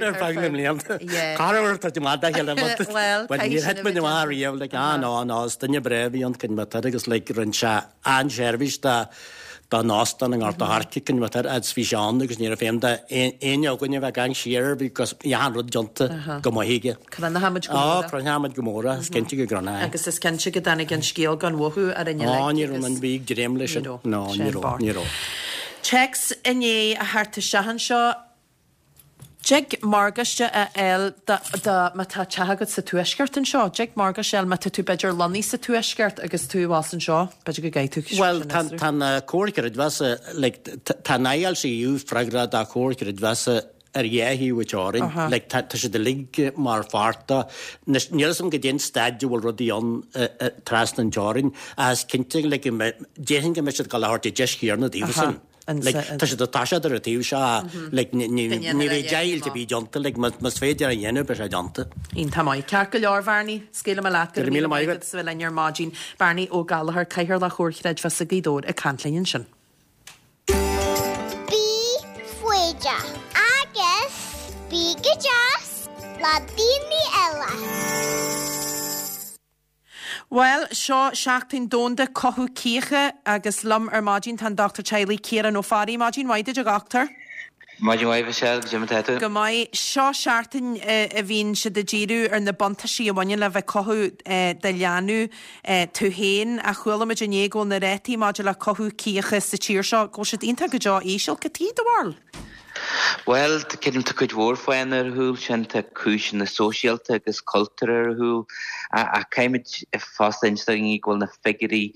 ar feadh na mblianta. Corruair tá muid dá chéile Bhuel, but níor thit muid amach riamh like ah no no is duine breá a bhí ann cinnte agus like rinne sé an-seirbhís do don óstán i nGort a' Choirce cinnte agus bhí sé ann agus ní raibh feidhm d'éinne againn a bheith ag caint siar air because bhí achan rud déanta go maith aige. Cronachaimid go mór é. Cronachaimid go mór é, is cinnte go gcronóidh. Agus is cinnte go dtáinig an scéal gan mhothú orainn uilig. Ó, ní raibh an bhí ag dréim leis sin. No, ní raibh, ní raibh. Téacs i ndiaidh a theacht isteach anseo. Dtig morgáiste a fháil do, do, má tá teach agat sa tuaisceart anseo, dtig morgáiste a fháil má tá tú b'fhéidir lonnaithe sa tuaisceart agus tú abhus anseo, b'fhéidir go gcaithfidh tú Bhuel, tá, tá na comhair chreidmheasa, like, tá an ILCU freagrach do chomhair chreidmheasa ar dhá thaobh an teorainn. Like, tá, tá siad uilig mar pháirt de. Anois, níl 'fhios a'm goidé an staid a bhfuil rudaí ann trasna an teorainn, ach is cinnte, like, go mbeidh, déarfainn go mbeidh siad ag dul a thabhairt an deis chéanna daofasan. Like, tá siad ag toiseacht ar an taobh seo, like, ní ní bheidh deighilt ar bith déanta, like, más féidir a dhéanamh, beidh sé déanta. Iontach maith. Ceart go leor, Bhearnaí, scaoilfidh mé leat. Go raibh míle maith agat as a bheith linn ar maidin. Bearnaí Ó Gallchóir, Cathaoirleach Chomhar Creidmheasa Ghaoth Dobhair ag caint linn ansin. Bí foighdeach agus bí go deas le daoine eile. Bhuel, seo Seachtain Domhanda Cothú Cíocha agus liom ar maidin tá an Dochtúir Teaghlaigh Ciarán Ó Fearraigh. Maidin mhaith duit a dhochtúir. Maidin mhaith Michelle, goidé mar atá tú? Go maith. Seo seachtain a bhíonn siad ag díriú ar na buntáistí a bhaineann le bheith cothú do leanbh tú féin. Ach chuala muid inné go bhfuil na rátaí maidir le cothú cíocha sa tír seo, go bhfuil siad iontach go deo íseal. Cad chuige, do bharúil? Bhuel, creidim tá cuid mhór fáthanna ar a chúl sin, tá cúiseanna sóisialta agus cultúrtha ar a chúl, ach caithfimid fosta inse do dhaoine go bhfuil na figiúirí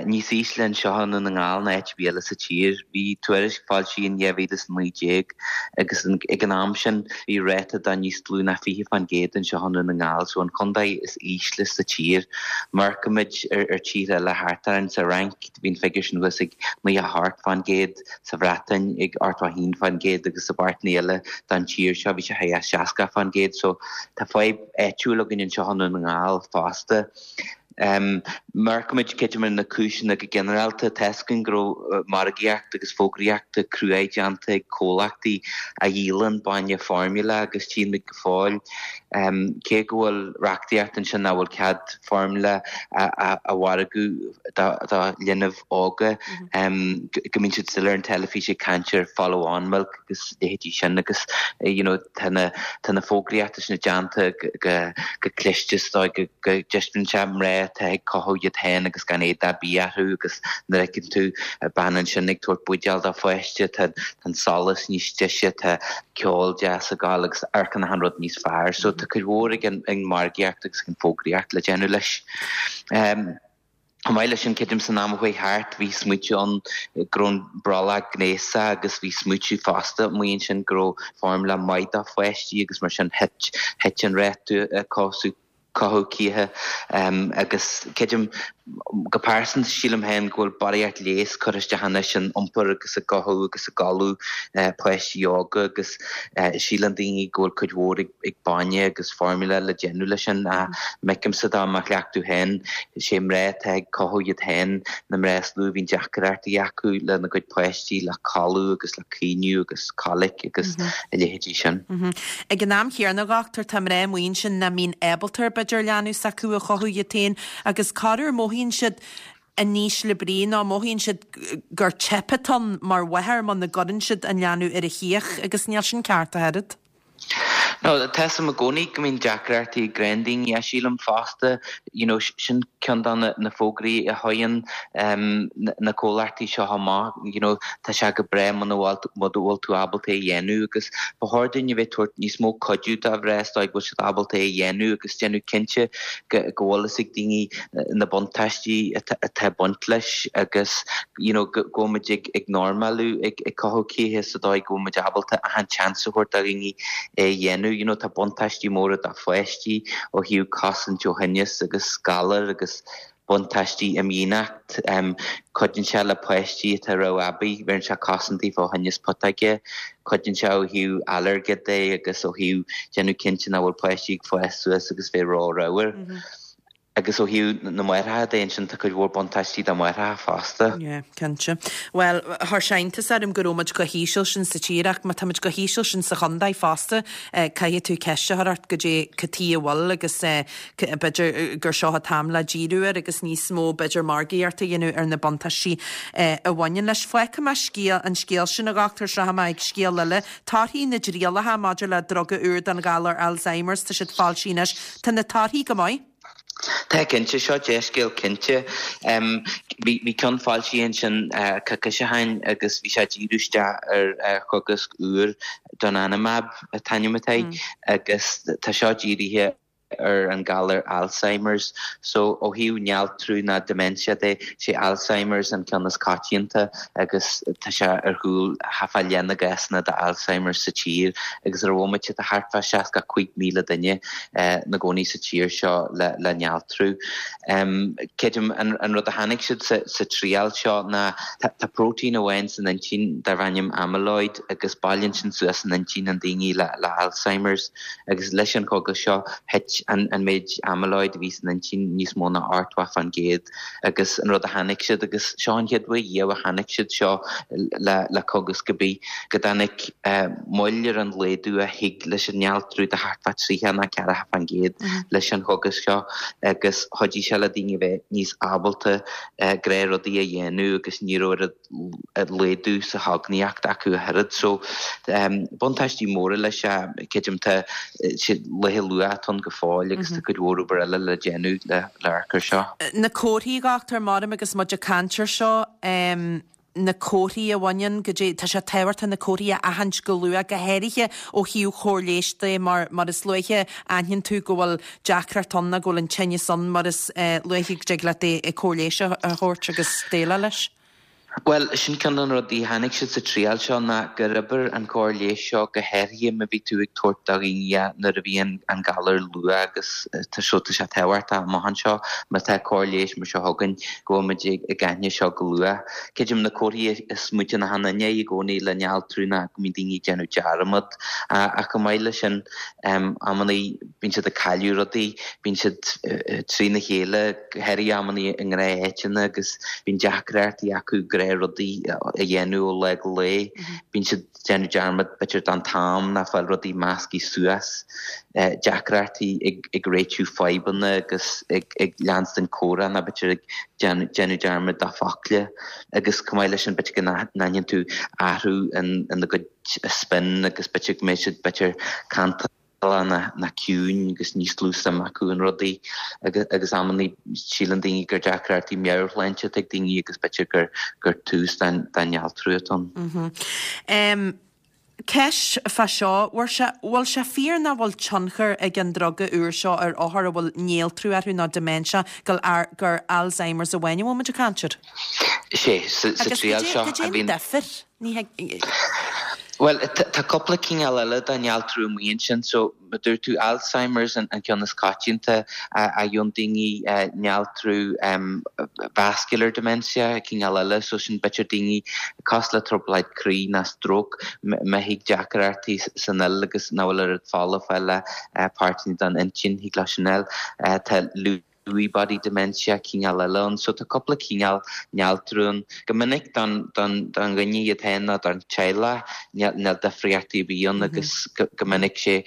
níos ísle anseo i nDún na nGall ná áit ar bith eile sa tír. Bhí tuairisc foilsithe in dhá mhíle is a naoi déag agus ag an am sin bhí ráta de níos lú ná fiche fán gcéad anseo i nDún na nGall, so an contae is ísle sa tír. Má amharcaimid ar tíortha eile thart orainn, sa Fhrainc bhí an figiúr sin thuas ag naocha a hocht fán gcéad, sa Bhreatain ag ochtó a haon fán gcéad agus i bpáirteanna eile den tír seo bhí sé thar seasca fán gcéad. So tá fadhb áitiúil againn anseo i nDún na nGall fosta. Má amharcaimid creidim ar na cúiseanna go ginearálta, tá fhios againn go raibh margaíocht agus fógraíocht cruaidh déanta ag comhlachtaí a dhíolann bainne foirmle agus tchíonn muid go fóill cé go bhfuil reachtaíocht ansin nach bhfuil cead foirmle a mhargú do linbh óga, go mbíonn siad still ar an teilifís ag caint ar follow on milk agus leithéidí sin agus you know tá na tá na fógraíochta sin déanta go go cliste is dóigh go go dtaispeánann sé mná atá ag cothú iad féin agus gan éadach ar bith orthu agus nuair a fheiceann tú bean ansin ag tabhairt buidéal dá pháiste tá an solas níos deise tá ceol deas ag gabháil agus amharcann achan rud níos fearr. So tá cuid mhór ag an margaíocht agus ag an bhfógraíocht le déanamh leis. Chomh maith leis sin, creidim san am a chuaigh thart bhí smaoitiú ann go raibh an brollach gnéasach agus bhí smaoitiú fosta amuigh ansin go raibh foirmle maith do pháistí agus mar sin thit thit an ráta cothú cothú cíche agus creidim go pearsanta sílim féin go bhfuil barraíocht léas curtha isteach anois in iompar agus i gcothú agus i gcodladh páistí óga agus síleann daoine go bhfuil cuid mhór ag bainne agus foirmle le déanamh leis sin ach m'fheicimse dá mo chleachtadh féin sé mná atá ag cothú iad féin na mná is lú a bhíonn deacrachtaí acu lena gcuid páistí le codladh agus le caoineadh agus colic agus a leithéidí sin. Ag an am chéanna, a dhochtúir, tá mná amuigh ansin nach mbíonn ábalta ar b'fhéidir leanbh s'acu a chothú iad féin agus corruair mothaíonn siad in ísle brí nó mothaíonn siad gur teip atá ann mar mháthair muna gcuireann siad an leanbh ar a chíoch agus níl sin ceart ach oiread. No, tá fhios agam i gcónaí go mbíonn deacrachtaí ag gnáthdaoine ach sílim fosta, you know, sin ceann de na, na fógraí a chuireann um, na comhlachtaí seo amach, you know, tá sé go breá muna bhfuil muna bhfuil tú ábalta é a dhéanamh agus ba chóir dúinn a bheith tabhairt níos mó cuidiú do mhná is dóigh go bhfuil siad ábalta é a dhéanamh agus déanamh cinnte go, go bhfuil fhios ag daoine na buntáistí atá atá ag baint leis agus you know, go, go bhfuil muid ag, ag normalú ag, ag cothú cíche sa dóigh go bhfuil muid ábalta achan chance a thabhairt do dhaoine é a dhéanamh. You know, tá buntáistí móra do pháistí ó thaobh cosaint ó thinneas agus galar agus buntáistí imdhíonacht. Um, cuidíonn sé le páistí atá ró-aibí, bheireann sé cosaint daofa ó thinneas putóige, cuidíonn sé ó thaobh ailléirge de agus ó thaobh déanamh cinnte nach bhfuil páistí ag fás suas agus bheith ró-ramhar. Mm -hmm. Agus ó thaobh na máithreacha de ansin tá cuid mhór buntáistí do mháithreacha fosta. Yeah, cinnte. Bhuel, chuir sé iontas orm go raibh muid chomh híseal sin sa tír ach má tá muid chomh híseal sin sa chontae fosta, eh, caithfidh tú ceist a chur ort goidé cad chuige a bhfuil agus eh, b'fhéidir gur seo an t-am le díriú air agus níos mó b'fhéidir margaíocht a dhéanamh ar na buntáistí eh, a bhaineann leis. Fágfaidh mé scéal an scéal sin a dhochtúir sraithfidh mé ag scéal eile. Torthaí na dtrialacha maidir le druga úr don ghalar Alzheimer's tá siad foilsithe anois. Tá na torthaí go maith. Tá cinnte seo dea-scéal cinnte. Bhí ceann foilsithe ansin coicís ó shin agus bhí sé ag díriú isteach ar chogasc úr donanemab an t-ainm atá air agus tá seo dírithe ar an galar Alzheimer's. So ó thaobh néaltrú ná dementia de, sé Alzheimer's an ceann is coitianta agus tá sé ar chúl thart fá leath na gcásanna de Alzheimer's sa tír agus ar an bhomaite tá thart fá seasca cúig míle duine na gcónaí sa tír seo le le néaltrú. Um, Creidim an, an rud a chonaic siad sa, sa triail seo ná tá, tá protein amháin san intinn darb ainm amyloid agus bailíonn sin suas san intinn an daoine le, le Alzheimer's agus leis an chogas seo thit an, an méid amyloid a bhí san intinn níos mó ná ochtó faoin gcéad agus an rud a chonaic siad agus seo an chéad uair riamh a chonaic siad seo le, le cogas go bí go dtáinig uh, moill ar an laghdú a thig leis an néaltrú de thart fá tríocha nó ceathracha faoin gcéad mm -hmm. leis an chogas seo agus chuidigh sé le daoine bheith níos ábalta uh, gnáthrudaí a dhéanamh agus ní raibh laghdú sa chognaíocht acu a thuilleadh so um, buntáistí móra leis creidim tá sé laethe luath ann go fóill agus tá cuid mhór obair eile le déanamh le le cur seo. Na comharthaí a dhochtúir mar agus muid ag caint air seo um, na comharthaí a bhaineann go dtí tá sé tábhachtach na comharthaí a aithint go luath go háirithe ó thaobh cóir leighis de mar mar is luaithe aithníonn tú go bhfuil deacracht ann go bhfuil an tinneas ann mar is uh, luaithe go dtig leat é cóir leighis a thabhairt agus déileáil leis. Well, sin ceann de na rudaí a chonaic siad sa triail seo ná gur oibir an cóir leighis seo go háirithe má bhí tú ag tabhairt do dhaoine nuair a bhí an galar luath agus tá seo tá sé tábhachtach amach anseo má tá cóir leighis mar seo againn go bhfuil muid ag aithne seo go luath. Creidim na comharthaí is smaointe na hanaine i gcónaí le néaltrú ná go mbíonn daoine ag déanamh dearmad ach chomh maith leis sin amannaí bíonn siad ag cailleadh rudaí, bíonn siad trína chéile go háirithe amannaí i ngnátháiteanna agus bíonn deacrachtaí acu rudaí a dhéanamh ó lá go lá. Bíonn siad déanamh dearmad b'fhéidir den t-am ná fáil rudaí measctha suas, deacrachtaí ag réitiú fadhbanna agus ag leanstan comhrá ná b'fhéidir ag déanamh dearmad dá focla agus chomh maith leis sin b'fhéidir go n-aithníonn tú athrú ina gcuid spin agus b'fhéidir go mbeidh siad b'fhéidir cantalach ná ná ciúin agus níos lú suim acu in rudaí agus amannaí síleann daoine gur deacrachtaí meabhairshláinte ag daoine agus b'fhéidir gur gur tús den den néaltrú atá ann. Mm -hmm. um, Ceist fá seo, bhfuil sé fíor nach bhfuil tionchar ag an druga úr seo ar othair a bhfuil néaltrú orthu nó dementia gur gur Alzheimer's amháin a bhfuil muid ag caint air? Sé sa triail seo a bhíonn difear ní Well, tá cúpla cineál eile de néaltrú amuigh ansin, so mar dúirt tú Alzheimer's an, an ceann is coitianta a fhaigheann daoine néaltrú um, vascular dementia cineál eile, so sin b'fhéidir daoine cosúil le trioblóid croí ná stroke má thig deacrachtaí san fhuil agus nach bhfuil oiread fola ag fáil le páirteanna den intinn thig leis sin eile. Tá Lewy body dementia cineál eile ann, so tá cúpla cineál néaltrú ann. Go minic don don don dhuine iad féin ná don teaghlach níl difríochtaí ar bith ann agus go minic sé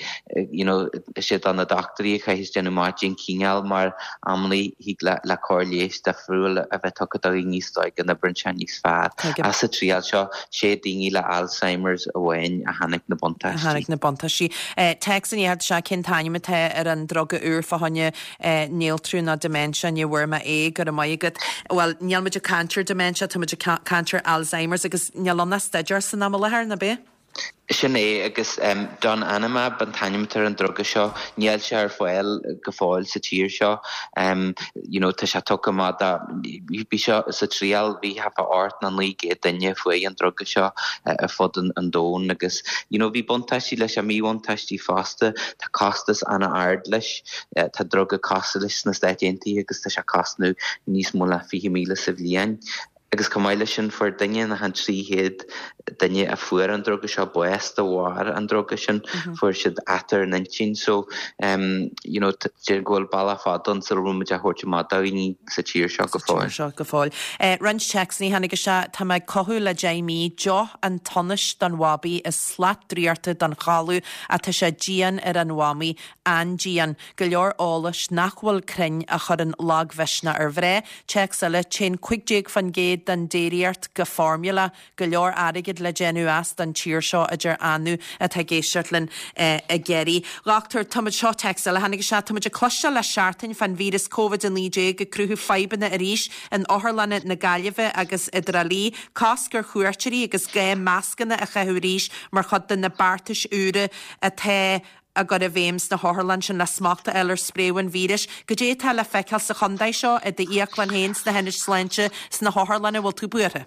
you know sé do na dochtúirí a chaithfidh déanamh amach cén cineál mar amannaí thig le le cóir leighis difriúil a bheith tugtha do dhaoine is dóigh go n-oibreann sé níos fearr. Ach sa triail seo sé daoine le Alzheimer's amháin a chonaic na buntáistí. A chonaic na buntáistí. Téacs i ndiaidh seo cén t-ainm atá ar an druga úr fá choinne néaltrú ná dementia ní bhfuair mé é go raibh maith agat. Well níl muid ag caint ar dementia tá muid ag caint ar Alzheimer's agus níl ann ach staidéar san am i láthair nach ea? Sin é agus um, donanemab an t-ainm ar an druga seo níl sé ar fáil go fóill sa tír seo. Um, you know, tá sé tugtha amach bhí seo sa triail bhí thart fá ocht nó naoi gcéad duine faoi an druga seo uh, ar fud an, an domhain agus you know, bhí buntáistí leis a míbhuntáistí fosta tá costas an-ard leis uh, tá druga cosúil leis sna Stáit Aontaithe agus tá sé cosnú níos mó ná fiche míle sa bhliain. Agus chomh maith leis sin fuair duine na han trí chéad duine a fuair an druga seo bás de bharr an druga sin fuair siad athair an intinn so um, you know, deir go bhfuil bealach fada ann sula bhfuil muid á thabhairt amach do dhaoine sa tír seo go fóill. seo go fóill. Eh, roinnt téacsanna tháinig isteach tá mé ag cothú le deich mí deoch an tsonais don bhabaí is slat draíochta don chodladh atá sé dian ar an mhamaí an-dian go leor eolais nach bhfuil cruinn a chuireann lagmhisneach ar mhná. Téacs eile téann cúig déag faoin gcéad den déiríocht go formula go leor airgid le déanamh as don tír seo a deir Anu atá ag éisteacht linn i gCiarraí. Dhochtúir táimid seo téacs eile tháinig isteach táimid ag cloisteáil le seachtain fán víreas Covid a naoi déag ag cruthú fadhbanna arís in otharlanna na Gaillimhe agus i dTrá Lí, cosc ar chuairteoirí agus gá mascanna a chaitheamh arís mar chuid de na beartais úra atá á gcur i bhfeidhm sna hotharlanna sin le smacht a fháil ar spréadh an víris. Goidé atá le feiceáil sa chontae seo, i d'íoclann féin, sna hionaid sláinte, sna hotharlanna, bhfuil tú buartha?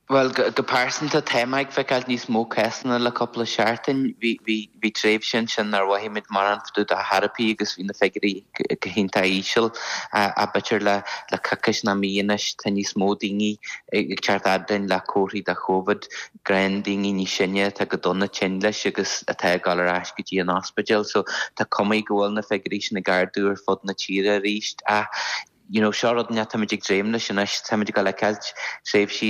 Bhuel, go pearsanta, tá mé ag feiceáil níos mó cásanna le cúpla seachtain. Bhí, bhí, bhí tréimhse ansin nár mhothaigh muid mórán fá dtaobh de chor ar bith agus bhí na figiúirí go hiontach íseal. Ach b'fhéidir le, le coicís nó mí anois, tá níos mó daoine ag teacht fhad linn le comharthaí de Covid, gnáthdhaoine níos sine atá go dona tinn leis agus atá ag dul ar ais go dtí an ospidéal. So tá cuma go bhfuil na figiúirí sin ag ardú ar fud na tíre arís. Ach you know, seo rud inteacht táimid ag dréim leis anois, táimid ag dul a fheiceáilt tréimhsí,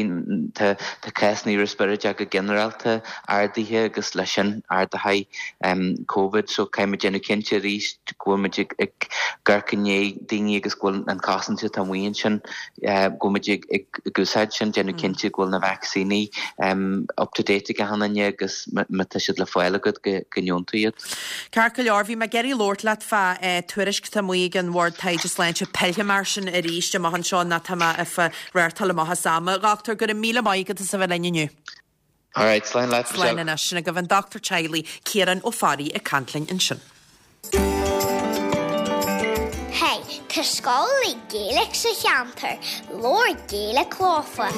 tá tá cásanna respioráideach go ginearálta ardaithe agus leis sin ardaithe um, Covid, so caithfimid déanamh cinnte arís go bhfuil muid ag ag amharc i ndiaidh daoine agus go bhfuil an chosaint atá amuigh ansin uh, go bhfuil muid ag ag ag úsáid sin, déanamh cinnte go bhfuil na vacsaíní um, up to date ag achan duine agus má tá siad le fáil agat go go ndeonn tú iad. Ceart go leor, bhí mé ag iarraidh labhairt leat fá eh, tuairisc atá amuigh ag an Bhord Taighde Sláinte pillfidh mé air sin arís amach anseo ná tá mé ag reáchtáil amach as am. A dhochtúir, go raibh míle maith agat as a bheith linn inniu. All right, slán leat, Slán Michelle. anois sin agaibh an dochtúir teaghlaigh Ciarán Ó Fearraigh ag caint linn ansin. Hey, tá scoil le Gaeilge sa cheantar, labhair Gaeilge leofa.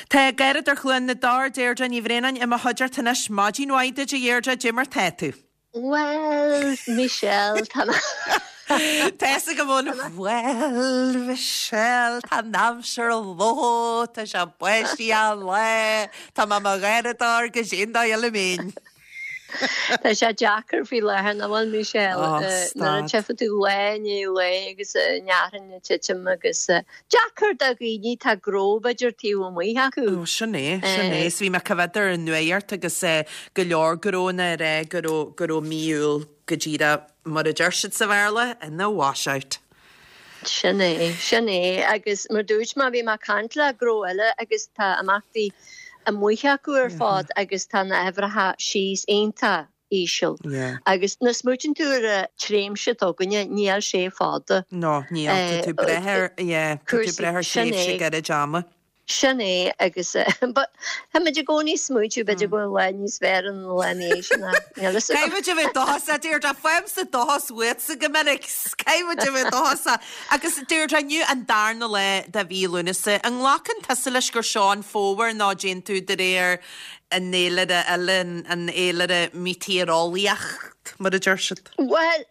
Tá Garradar Chluain na Dár Deirdre Ní Bhraonáin i mo chuideachta anois maidin mhaith duit a Dheirdre, goidé mar tá tú. Well, Michelle, tá Tá go bhfuil Well Michelle tá an aimsir ló tá sé báistí le Tá má gharadar go sin eile mín. Tá sé deacair faoi láthair nach bhfuil Michelle Oh, nuair a stad. tchífidh tú lá i ndiaidh lae agus nearan na titim agus deacair do dhaoine tá gnó b'fhéidir taobh amuigh acu. Ó sin é sin é, 's bhí mé ag coimhéad ar an nuacht agus go leor gnónna ag rá go raibh go raibh mí Iúil go díreach mar a deir siad sa Bhéarla ina washout. Sin é, sin é agus mar dúirt mé bhí mé ag caint le gnó eile agus tá imeachtaí amuigh acu ar fad agus tá na huimhreacha síos iontach íseal. Yeah. Agus nuair a smaoiníonn tú ar an tréimhse atá againne níl sé fada. No, níl tá tú breith ar yeah, tá tú cúrsaí breith ar sin thréimhse é. gairid ama. Sin é agus but táimid i gcónaí smaointiú b'fhéidir go bhfuil lá níos fearr an lá ní sin Caithfimid a bheith dóchasach Deirdre faighimse dóchas uaitse go minic Caithfimid a bheith dóchasach agus Deirdre inniu an darna lá de mhí Lúnasa an nglacann tusa leis gur seo an fómhar nó déan tú de réir an fhéilire eile an fhéilire meitéareolaíoch mar a deir siad. Well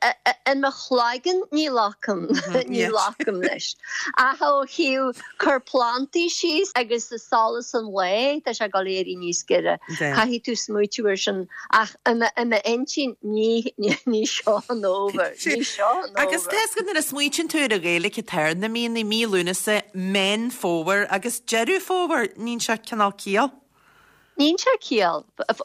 in mo chloigeann ní ghlacaim ní yes. ghlacaim leis. Ach ó thaobh cur plantaí síos agus sa solas an lae tá sé ag dul éirí níos giorra. De. Caithfidh tú smaointiú ar sin ach i m'intinn ní ní seo an fómhar, ní seo an Agus fómhar. Tá nuair a smaoiníonn tú ar an Ghaeilge atá ar na míonna mí Lúnasa Meán Fómhair agus Deireadh Fómhair níonn sé cineál ciall. Níonn sé ciall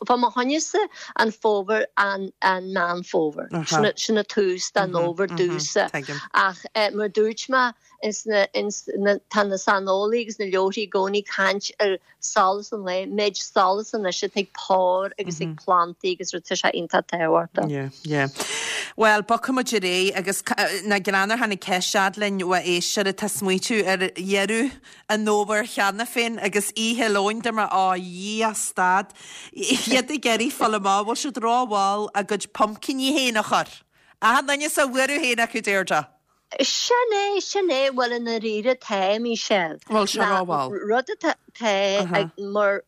fá mo choinnese an fómhar an an Meán Fómhair Aha. sin a tús den fhómhar domhsa tuigim. ach eh, mar dúirt mé ins na ins na tá na saineolaithe agus na leabharthaí i gcónaí caint ar solas an lae méid solas anois ag pár agus ag plantaí agus rud tá sé iontach tábhachtach. Yeah, yeah. Well, bogfaimid ar aghaidh agus ca- na greannar tháinig ceist linn ó éisteoir atá smaointiú ar dheireadh an fhómhair cheana féin agus oíche lóin de mar á dhia stad. Iad ag iarraidh fáil amach bhfuil siad rómhall a gcuid pumpkiní féin a chur. A duine sa bhfuair féin acu Deirdre. Sin é sin é bhfuil an ríre tá Michelle. Bhfuil sé rómhall. Rud atá ag mar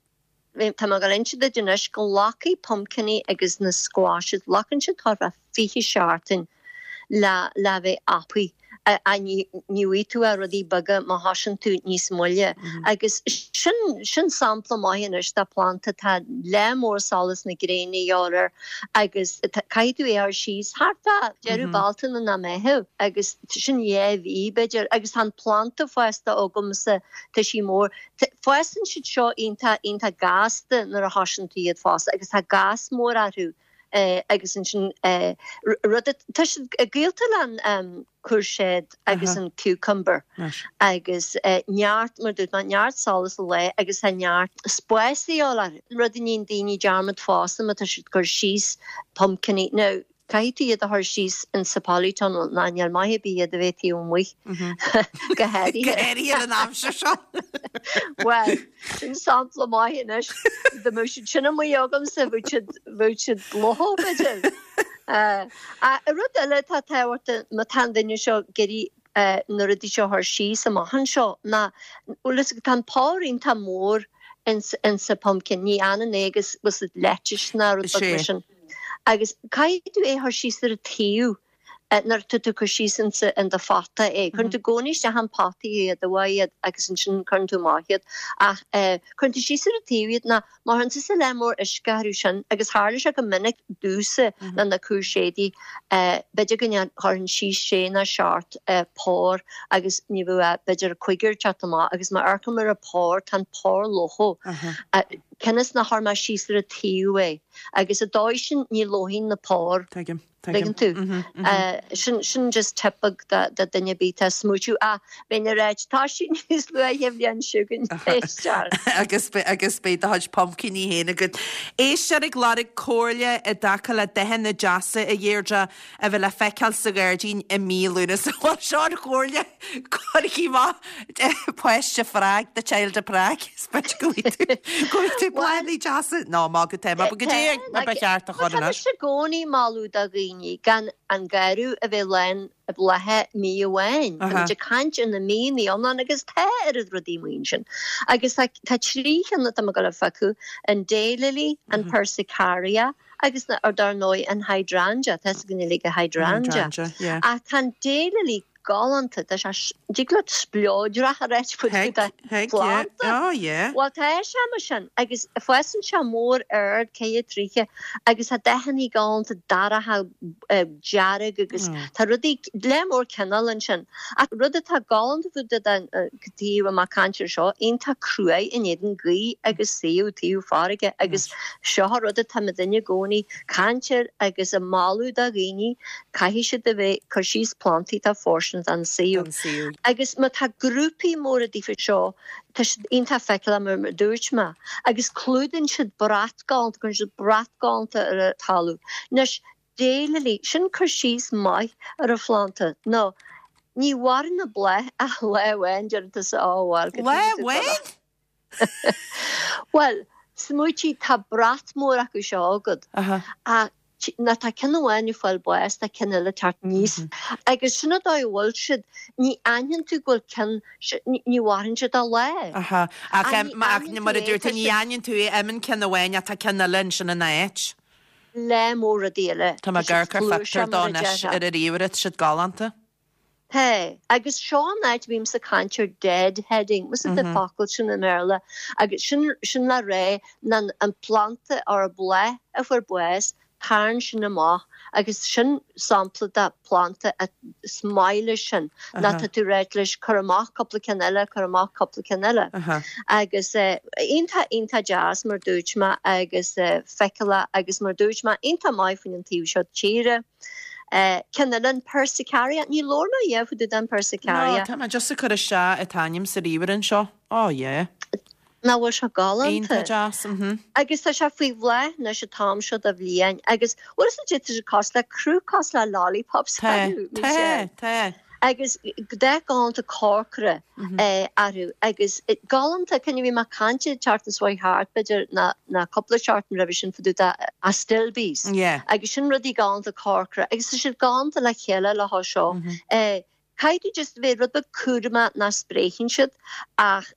Tá má go de dunis go ghlacfaidh pumpkiní agus na squashes glacann siad thart fá fiche seachtain le le bheith apaí a ní ní tú a rudaí beaga má thosaíonn tú níos moille agus sin sin sampla maith anois de planta tá le mór solas na gréine air agus caithfidh tú é ar síos thart fá deireadh Bealtaine na Meitheamh agus sin dhá mhí b'fhéidir agus tá an planta fásta agamsa tá sí mór Fásann siad seo iontach iontach gasta nuair a thosaíonn tú iad fás agus tá gas mór orthu eh, agus ansin eh, rud tá siad gaolta an um, courgette agus an cucumber agus eh, neart mar dúirt mé neart solas an lae agus tá neart spáis orthu rud a ndéanann daoine dearmad fosta má tá siad cur síos pumpkiní. Now, Caithfidh tú iad a chur síos in sa polytunnel ná níl maith ar bith iad a bheith taobh amuigh. Go háirithe. Go háirithe ar an aimsir seo. Bhuel, sin sampla maith anois. Dá mbeadh siad sin amuigh agamsa bheadh siad bheadh siad lofa b'fhéidir. Ach rud eile atá tábhachtach má tá an duine seo ag iarraidh na rudaí seo a chur síos amach anseo ná bhfuil fhios agat tá an pár iontach mór ins insa pumpkin ní fhanann é agus bhfuil fhios agat lettuce ná rud beag mar sin. Agus caithfidh tú é a chur síos ar an taobh nuair atá tú ag cur síos insa in do phota é. Cuireann tú i gcónaí isteach an pota iad a mhaith iad agus ansin cuireann tú amach iad ach cuireann tú síos ar an taobh iad ná má chuireann tusa leath mór uisce orthu sin agus tharla sé go minic domhsa le na cúirséidí b'fhéidir go gcuirfinn síos sé nó seacht pár agus ní bheadh ach b'fhéidir cúigear ag teacht amach agus má amharcaim ar an pár tá an pár lofa. Cionn is nár chuir mé síos ar an taobh é agus an dóigh sin ní lobhann na pár. Tuigim, tuigim. Tuigeann tú? Sin, sin just tip beag do duine ar bith atá ag smaoitiú, ah, bheinn ag ráit, tá sí níos luaithe an bhliain seo chugainn, éisteoir. Agus, agus beidh do chuid pumpkiní féin agat. Éisteoir ag lorg comhairle i dtaca le dathanna deasa a Dheirdre a bheith le feiceáil sa ghairdín i mí Lúnasa. Bhuel, seo an chomhairle, cuirigí amach páiste Phrág, the child of Prague, is b'fhéidir go bhfaighidh tú, go bhfaighidh tú bláthanna deasa. Nó má go tá, má go dté mar ba cheart a chur Tá anois. mise i gcónaí ag moladh do dhaoine gan an garradh a bheith lán blátha mí amháin. Tá muid ag caint ar na míonna iomlán agus tá oiread rudaí amuigh ansin. Agus tá tá trí cheann atá mé ag dul a phiocadh, an daylily, an persicaria agus na, ar dar ndóigh an hydrangea, tá fhios againn uilig an hydrangea. Hydrangea, yeah. Ach tá an daylily galánta, tá sé, dtig leat spleodrach a ráit faoi Thig, do thig, yeah. phlanda. Oh, yeah. Bhuel tá sé mar sin agus fásann sé mór ard ceithre troighe agus tá dathanna galánta dorcha dearg agus tá rudaí lear mór cineál ansin. Ach rud atá galánta fá dtaobh den taobh amach caint air seo, iontach cruaidh in éadan gaoth agus saobhadh taobh farraige agus seo an rud atá muidinne i gcónaí caint air agus ag moladh do dhaoine, caithfidh siad a bheith cur síos plantaí atá fóirsteanach don saobhadh. Agus má tá grúpaí móra daofa seo, tá siad iontach feiceálach mar a dúirt mé, agus clúdaíonn siad brat galánta, cuireann siad brat galánta ar an talamh. Anois, daylily, sin cur síos maith ar an phlanda, nó ní mhaireann an bláth ach lá amháin, deireann tusa, á bhuel, go Lá dtuigfidh tú amháin? Bhuel, smaoitigh, tá brat mór acu seo agat, ach nuair tá ceann amháin ag fáil bás, tá ceann eile ag teacht aníos. Agus sin an dóigh a bhfuil siad, ní aithníonn tú go bhfuil ceann, ní mhaireann siad ach lá. Aha. Ach Ach ní aithníonn mar tú a é, dúirt tú, tá ní siad. aithníonn tú é, imíonn ceann amháin ach tá ceann eile ansin ina áit. Lear mór rudaí eile. Tá mé Tá ag siad amharc ar flúirseach phictiúr dó mar a anois déarfá. ar an ríomhaire, tá siad galánta. Tá, agus seo an áit a bhímse ag caint ar deadheading, bhfuil fhios agat an focal sin i mBéarla, agus sin, sin le rá ná an planda or an bláth a fuair bás, tagann sin amach agus sin sampla de planda a is maith leis sin, ná tá tú ráit leis cur amach cúpla ceann eile, cur amach cúpla ceann eile. Agus iontach, iontach deas mar dúirt mé agus feiceálach agus mar dúirt mé iontach maith faoin an taobh seo tíre. Ceann eile, an Persicaria. Ní labhair mé riamh fá dtaobh den No, Persicaria. tá mé just ag cur isteach an t-ainm sa ríomhaire anseo. Oh yeah. Nach bhfuil sé galánta? Iontach deas, mhm. Agus tá sé faoi bhláth anois an t-am seo de bhliain agus bhfuil fhios agat tá sé cosúil le cruth cosúil le lollipops Tá, orthu, tá, Michelle. tá. Agus dath galánta corcra orthu agus galánta, cinn a bhí mé ag caint an tseachtain seo thart b'fhéidir ná ná cúpla seachtain roimhe sin fá dtaobh de astilbes agus sin rudaí galánta corcra agus tá siad galánta le chéile le há seo. Caithfidh tú just bheith rud beag cúramach nach spréicheann siad ach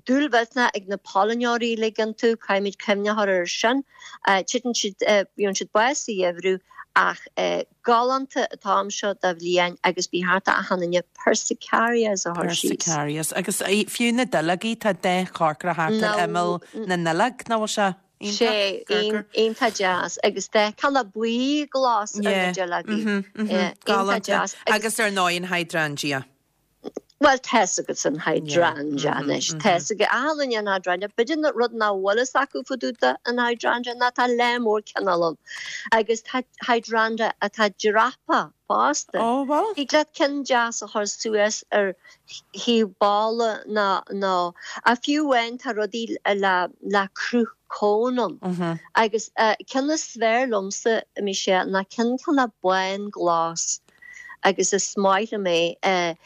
dúil mhillteanach ag na pailneoirí uilig iontu, caithfimid cuimhne a chur air sin. Titeann siad, bíonn siad bás sa gheimhreadh ach galánta an t-am seo de bhliain agus ba cheart d'achan duine persicarias a chur síos. Persicarias. Agus fiú na duilleogaí, tá dath corcra thart ar imeall na nduilleog, nach bhfuil sé iontach? Sé, iontach deas agus dath cineál buí glas ar na Yeah, duilleogaí. mhm, mhm, Iontach galánta. deas. Agus ar ndóigh an hydrangea. Bhuel, tá's agat an hydrangea anois. Tá's ag achan duine an hydrangea. B'fhéidir na rud nach bhfuil fhios acu fá dtaobh de an hydrangea ná tá lear mór cineál ann. Agus tá hydrangea atá dreaptha fosta. Ó, bhfuil? Thig leat ceann deas a chur suas ar thaobh balla ná nó a fiú amháin tá rudaí le le cruth cón ann. Agus ceann is fearr liomsa, Michelle, ná ceann cineál bán glas. agus is maith liom é.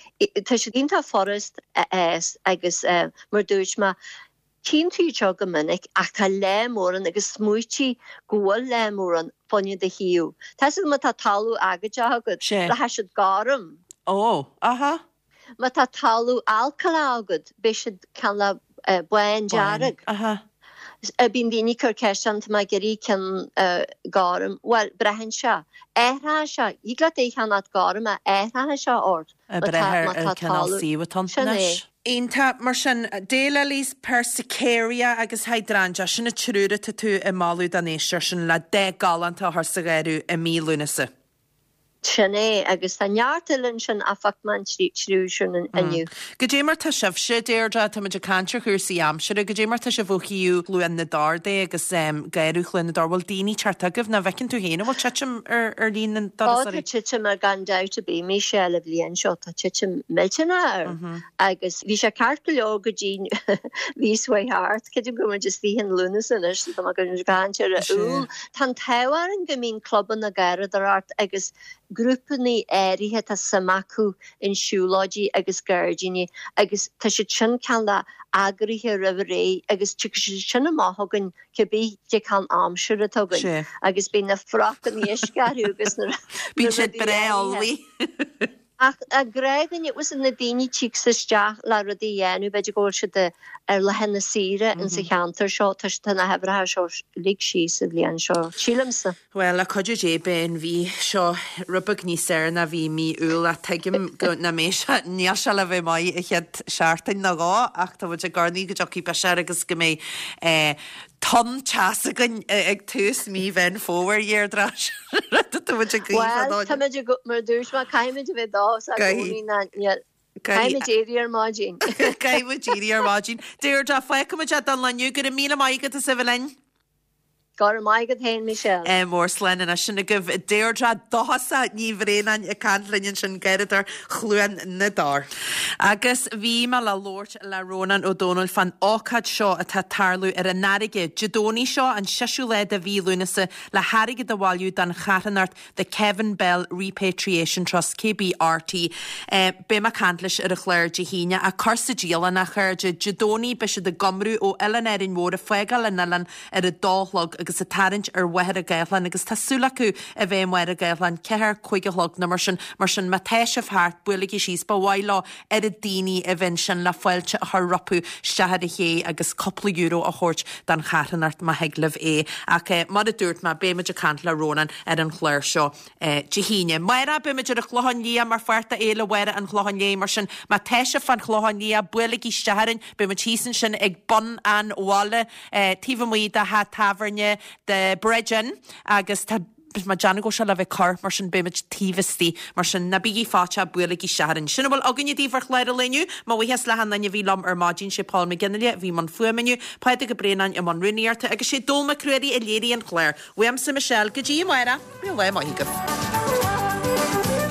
Tá siad iontach furast a fhás agus mar dúirt mé, tchíonn tú iad seo go minic ach tá lear mór ann agus smaoitigh go bhfuil lear mór ann fá choinne do shuíomh. Tá 'fhios agat má tá talamh aigéadach agat, rachaidh siad gorm. Ó, aha. Má tá talamh alcaileach agat, beidh siad cineál bándearg. Aha. Bíonn daoine ag cur ceist orm, tá mé ag iarraidh ceann gorm. Bhuel, braitheann sé. Athraíonn sé. Thig leat é a cheannacht gorm ach athraíonn sé ort Ag má brath tá ar má ar tá cineál talamh. suíomh atá ann Sin é. anois. Iontach. Mar sin, daylilies, persicaria agus hydrangea, sin an triúr atá tú ag moladh don éisteoir sin le dath galánta a chur sa gharradh i mí Lúnasa. Sin é, agus tá neart eile ansin ach phioc mé an triúr sin inniu. Goidé mar tá sibhse, Deirdre, tá muid ag caint ar chúrsaí aimsire, goidé mar tá sibh ó thaobh Chluain na dTor de agus garradh Chluain na dTor, bhfuil daoine ag teacht chugaibh nó an bhfeiceann tú féin an bhfuil titim ar ar líon na Ó tá dturasóirí? titim ar gan dabht ar bith, Michelle, an bhliain seo, tá titim millteanach air agus bhí sé ceart go leor go dtí mhí seo thart, creidim go bhfuil muid istigh in Lúnasa anois, tá mé ag caint ar Iúil. Tá an t-ádh orainn go mbíonn clubanna garradóireachta agus grúpanna áirithe tá suim acu in siúlóidí agus gairdíní agus tá siad sin cineál eagraithe roimh ré agus tiocfaidh siad sin amach chugainn cibé cén cineál aimsire atá againn agus bíonn na frocanna uisce orthu agus na Bíonn siad rudaí breá áirithe. ullmhaithe. Ach a gnáthdhuine, bhfuil 'fhios agat na daoine tíochas isteach le rudaí a dhéanamh, b'fhéidir go bhfuil siad ar laetha saoire insa cheantar seo, tá tá na huimhreacha seo lig síos sa bhliain seo, sílimse. Bhuel, le cuidiú Dé, beidh an mhí seo rud beag níos fearr ná bhí mí Iúil ach tuigim go nach mbeidh sé, níl sé le bheith maith an chéad seachtain nó dhó ach tá muid ag urnaí go dtiocfaidh biseach agus go mbeidh eh, tonn teasa againn ag tús mí Mheán Fómhair, a Dheirdre. Tá muid ag guí Bhuel, fadó. tá muid ag, mar a dúirt mé, caithfimid a bheith dóchasach i Caithfidh. gcónaí ná níl, caithfimid éirí ar maidin. Caithfimid éirí ar maidin. Deirdre, fágfaimid é don lá inniu, go raibh míle maith agat as a bheith linn. Go raibh maith agat féin, Michelle. Eh, mór slán anois sin agaibh Deirdre Dóchasach Ní Bhraonáin ag caint linn ansin Garradóir Chluain na dTor. Agus bhí mé le labhairt le Rónán Ó Domhnaill fán ócáid seo atá ag tarlú ar an fharraige Dé Domhnaigh seo an seisiú lá de mhí Lúnasa le hairgead a bhailiú don charthanacht The Kevin Bell Repatriation Trust KBRT. Eh, beidh mé ag caint leis ar an chlár Dé hAoine ach cur sa dialann a chairde Dé Domhnaigh beidh siad ag iomrú ó Oileán Árainn Mhór ag fágáil an oileán ar a dó a chlog agus ag tarraingt ar Mhachaire Gathlán agus tá súil acu a bheith i Machaire Gathlán ceathair cúig a chlog nó mar sin mar sin má tá sibh thart buailigí síos ba mhaith leo oiread daoine a bheith ansin le fáilte a chur rompu isteach ar an ché agus cúpla euro a thabhairt don charthanacht má thig libh é ach eh, mar a dúirt mé beimid ag caint le Rónán ar an chlár seo eh, Dé hAoine. Amárach beimid ar an Chlochán Liath mar pháirt de Fhéile Mháire an Chlocháin Léith mar sin má tá sibh fan Chlochán Liath buailigí isteach orainn beimid thíos ansin ag bun an bhaile eh, taobh amuigh de theach tábhairne The Bridge Inn agus tá má déanamh go se le bheith cur mar sin beimid taobh istigh mar sin ná bígí fáite buailigí isteach orainn. Sin a bhfuil againne daoibh ar chlár an lae inniu, mo bhuíochas le han duine a bhí liom ar maidin sé Paul McGinley bhí i mbun fuaime inniu, Pádraig Ó Braonáin i mbun rúnaíochta agus sé Dól Mac Ruairí a léirigh an clár. Uaimse Michelle go dtí amárach, bíodh lá maith agaibh.